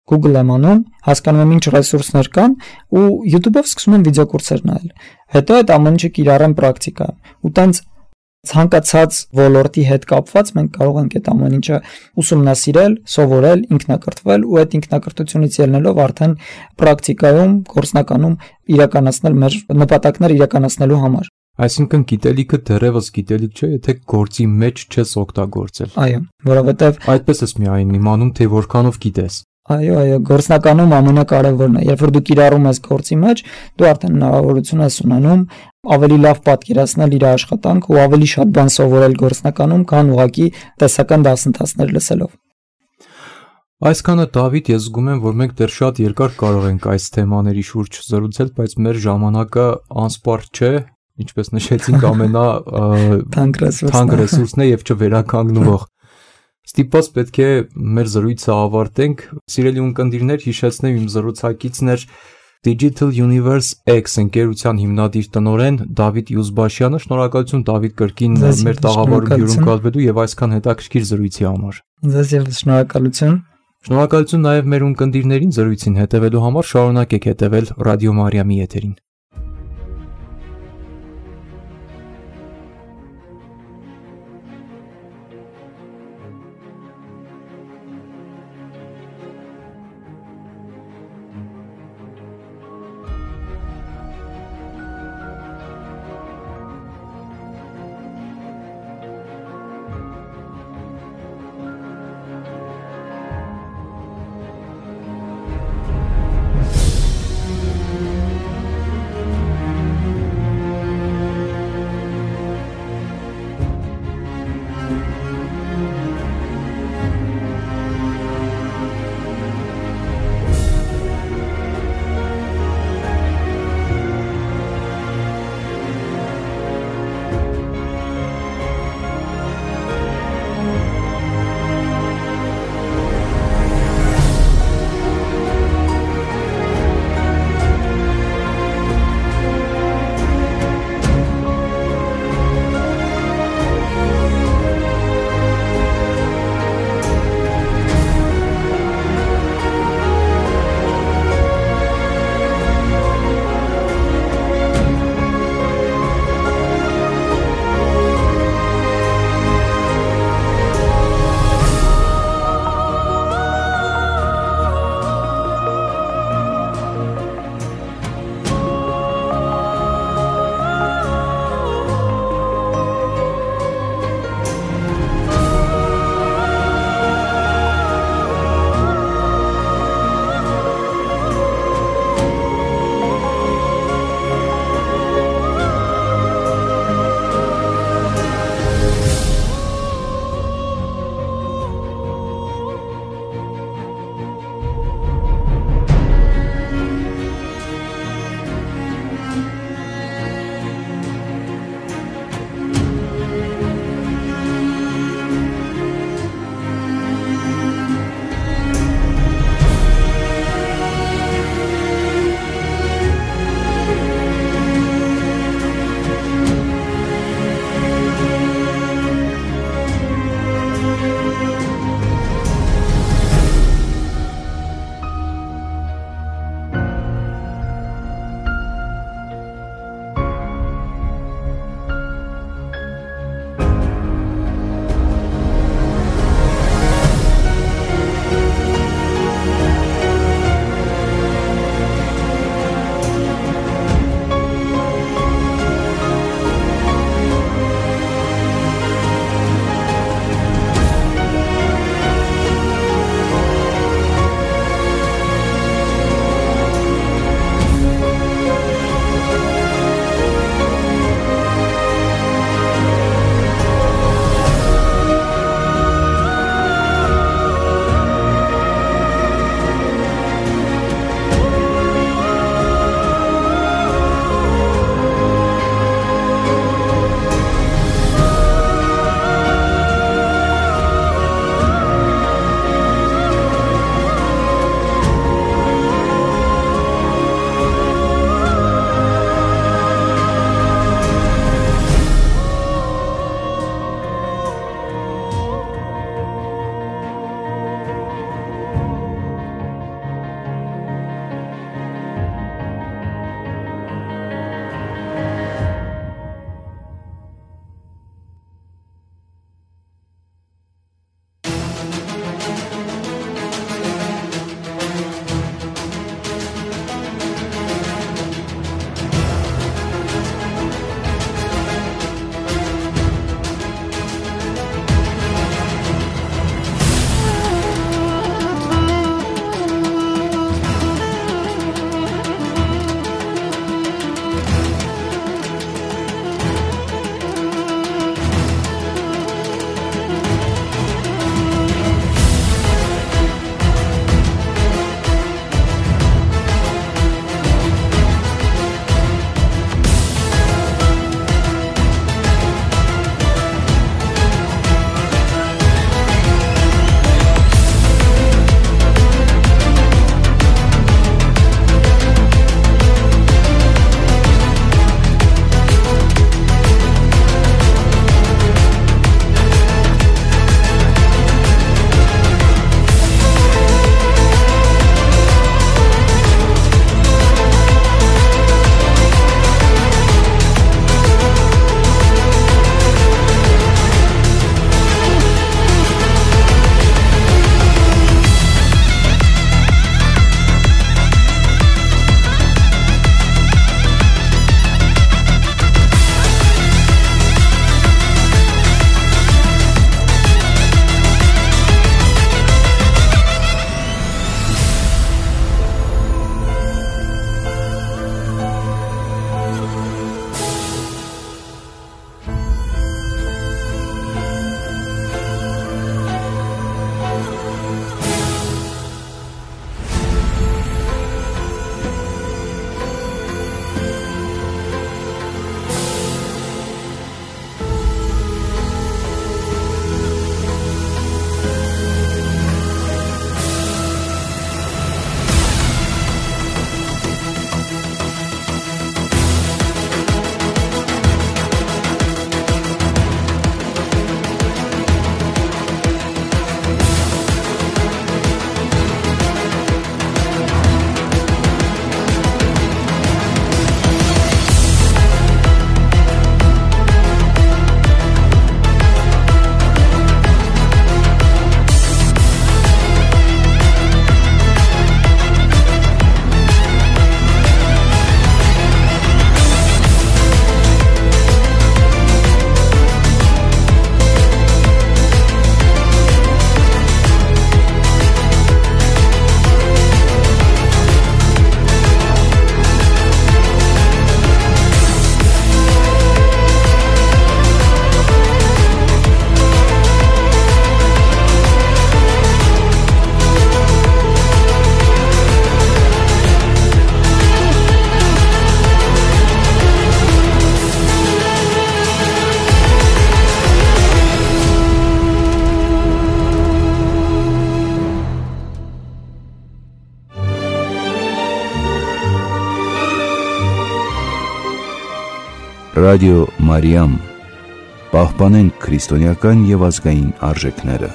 Google եմ անում, հասկանում եմ ինչ ռեսուրսներ կան ու YouTube-ով սկսում եմ վիդեոկուրսեր նայել։ Հետո այդ ամեն ինչը կիրառեմ պրակտիկա։ Ու տենց ցանկացած ոլորտի հետ կապված մենք կարող ենք այդ ամեն ինչը ուսումնասիրել, սովորել, ինքնակրթվել ու այդ ինքնակրթությունից ելնելով արդեն պրակտիկայում, գործնականում իրականացնել մեր նպատակները իրականացնելու համար։ Այսինքն գիտելիքը դեռևս գիտելիք չէ, եթե գործի մեջ չես օգտագործել։ Այո, որովհետև այդպես ես միայն իմանում, թե որքանով գիտես։ Այո, գործնականում ամենակարևորն է, երբ որ դու կիրառում ես գործի մեջ, դու արդեն հնարավորություն ես ունենում ավելի լավ պատկերացնել իր աշխատանքը ու ավելի շատ բան սովորել գործնականում, քան ուղղակի տեսական դասընթացներ լսելով։ Այսքանը Դավիթ, ես զգում եմ, որ մենք դեռ շատ երկար կարող ենք այս թեմաների շուրջ զրուցել, բայց մեր ժամանակը անսպառ չէ, ինչպես նշեցինք, թանկ ռեսուրսն է եւ չվերականգնվող։ Ստիպված պետք է մեր զրույցը ավարտենք։ Սիրելի ունկնդիրներ, հիշեցնեմ իմ զրուցակիցն էր Digital Universe X ընկերության հիմնադիր տնօրեն Դավիթ Յուզբաշյանը։ Շնորհակալություն Դավիթ կրկին մեր տաղավարում հյուրընկալվելու եւ այսքան հետաքրքիր զրույցի համար։ Ձեզ եւս շնորհակալություն։ Շնորհակալություն նաեւ մեր ունկնդիրներին զրույցին հետևելու համար, շարունակեք հետևել Ռադիո Մարիամի եթերին։ Ռադիո Մարիամ, պահպանենք քրիստոնեական եւ ազգային արժեքները։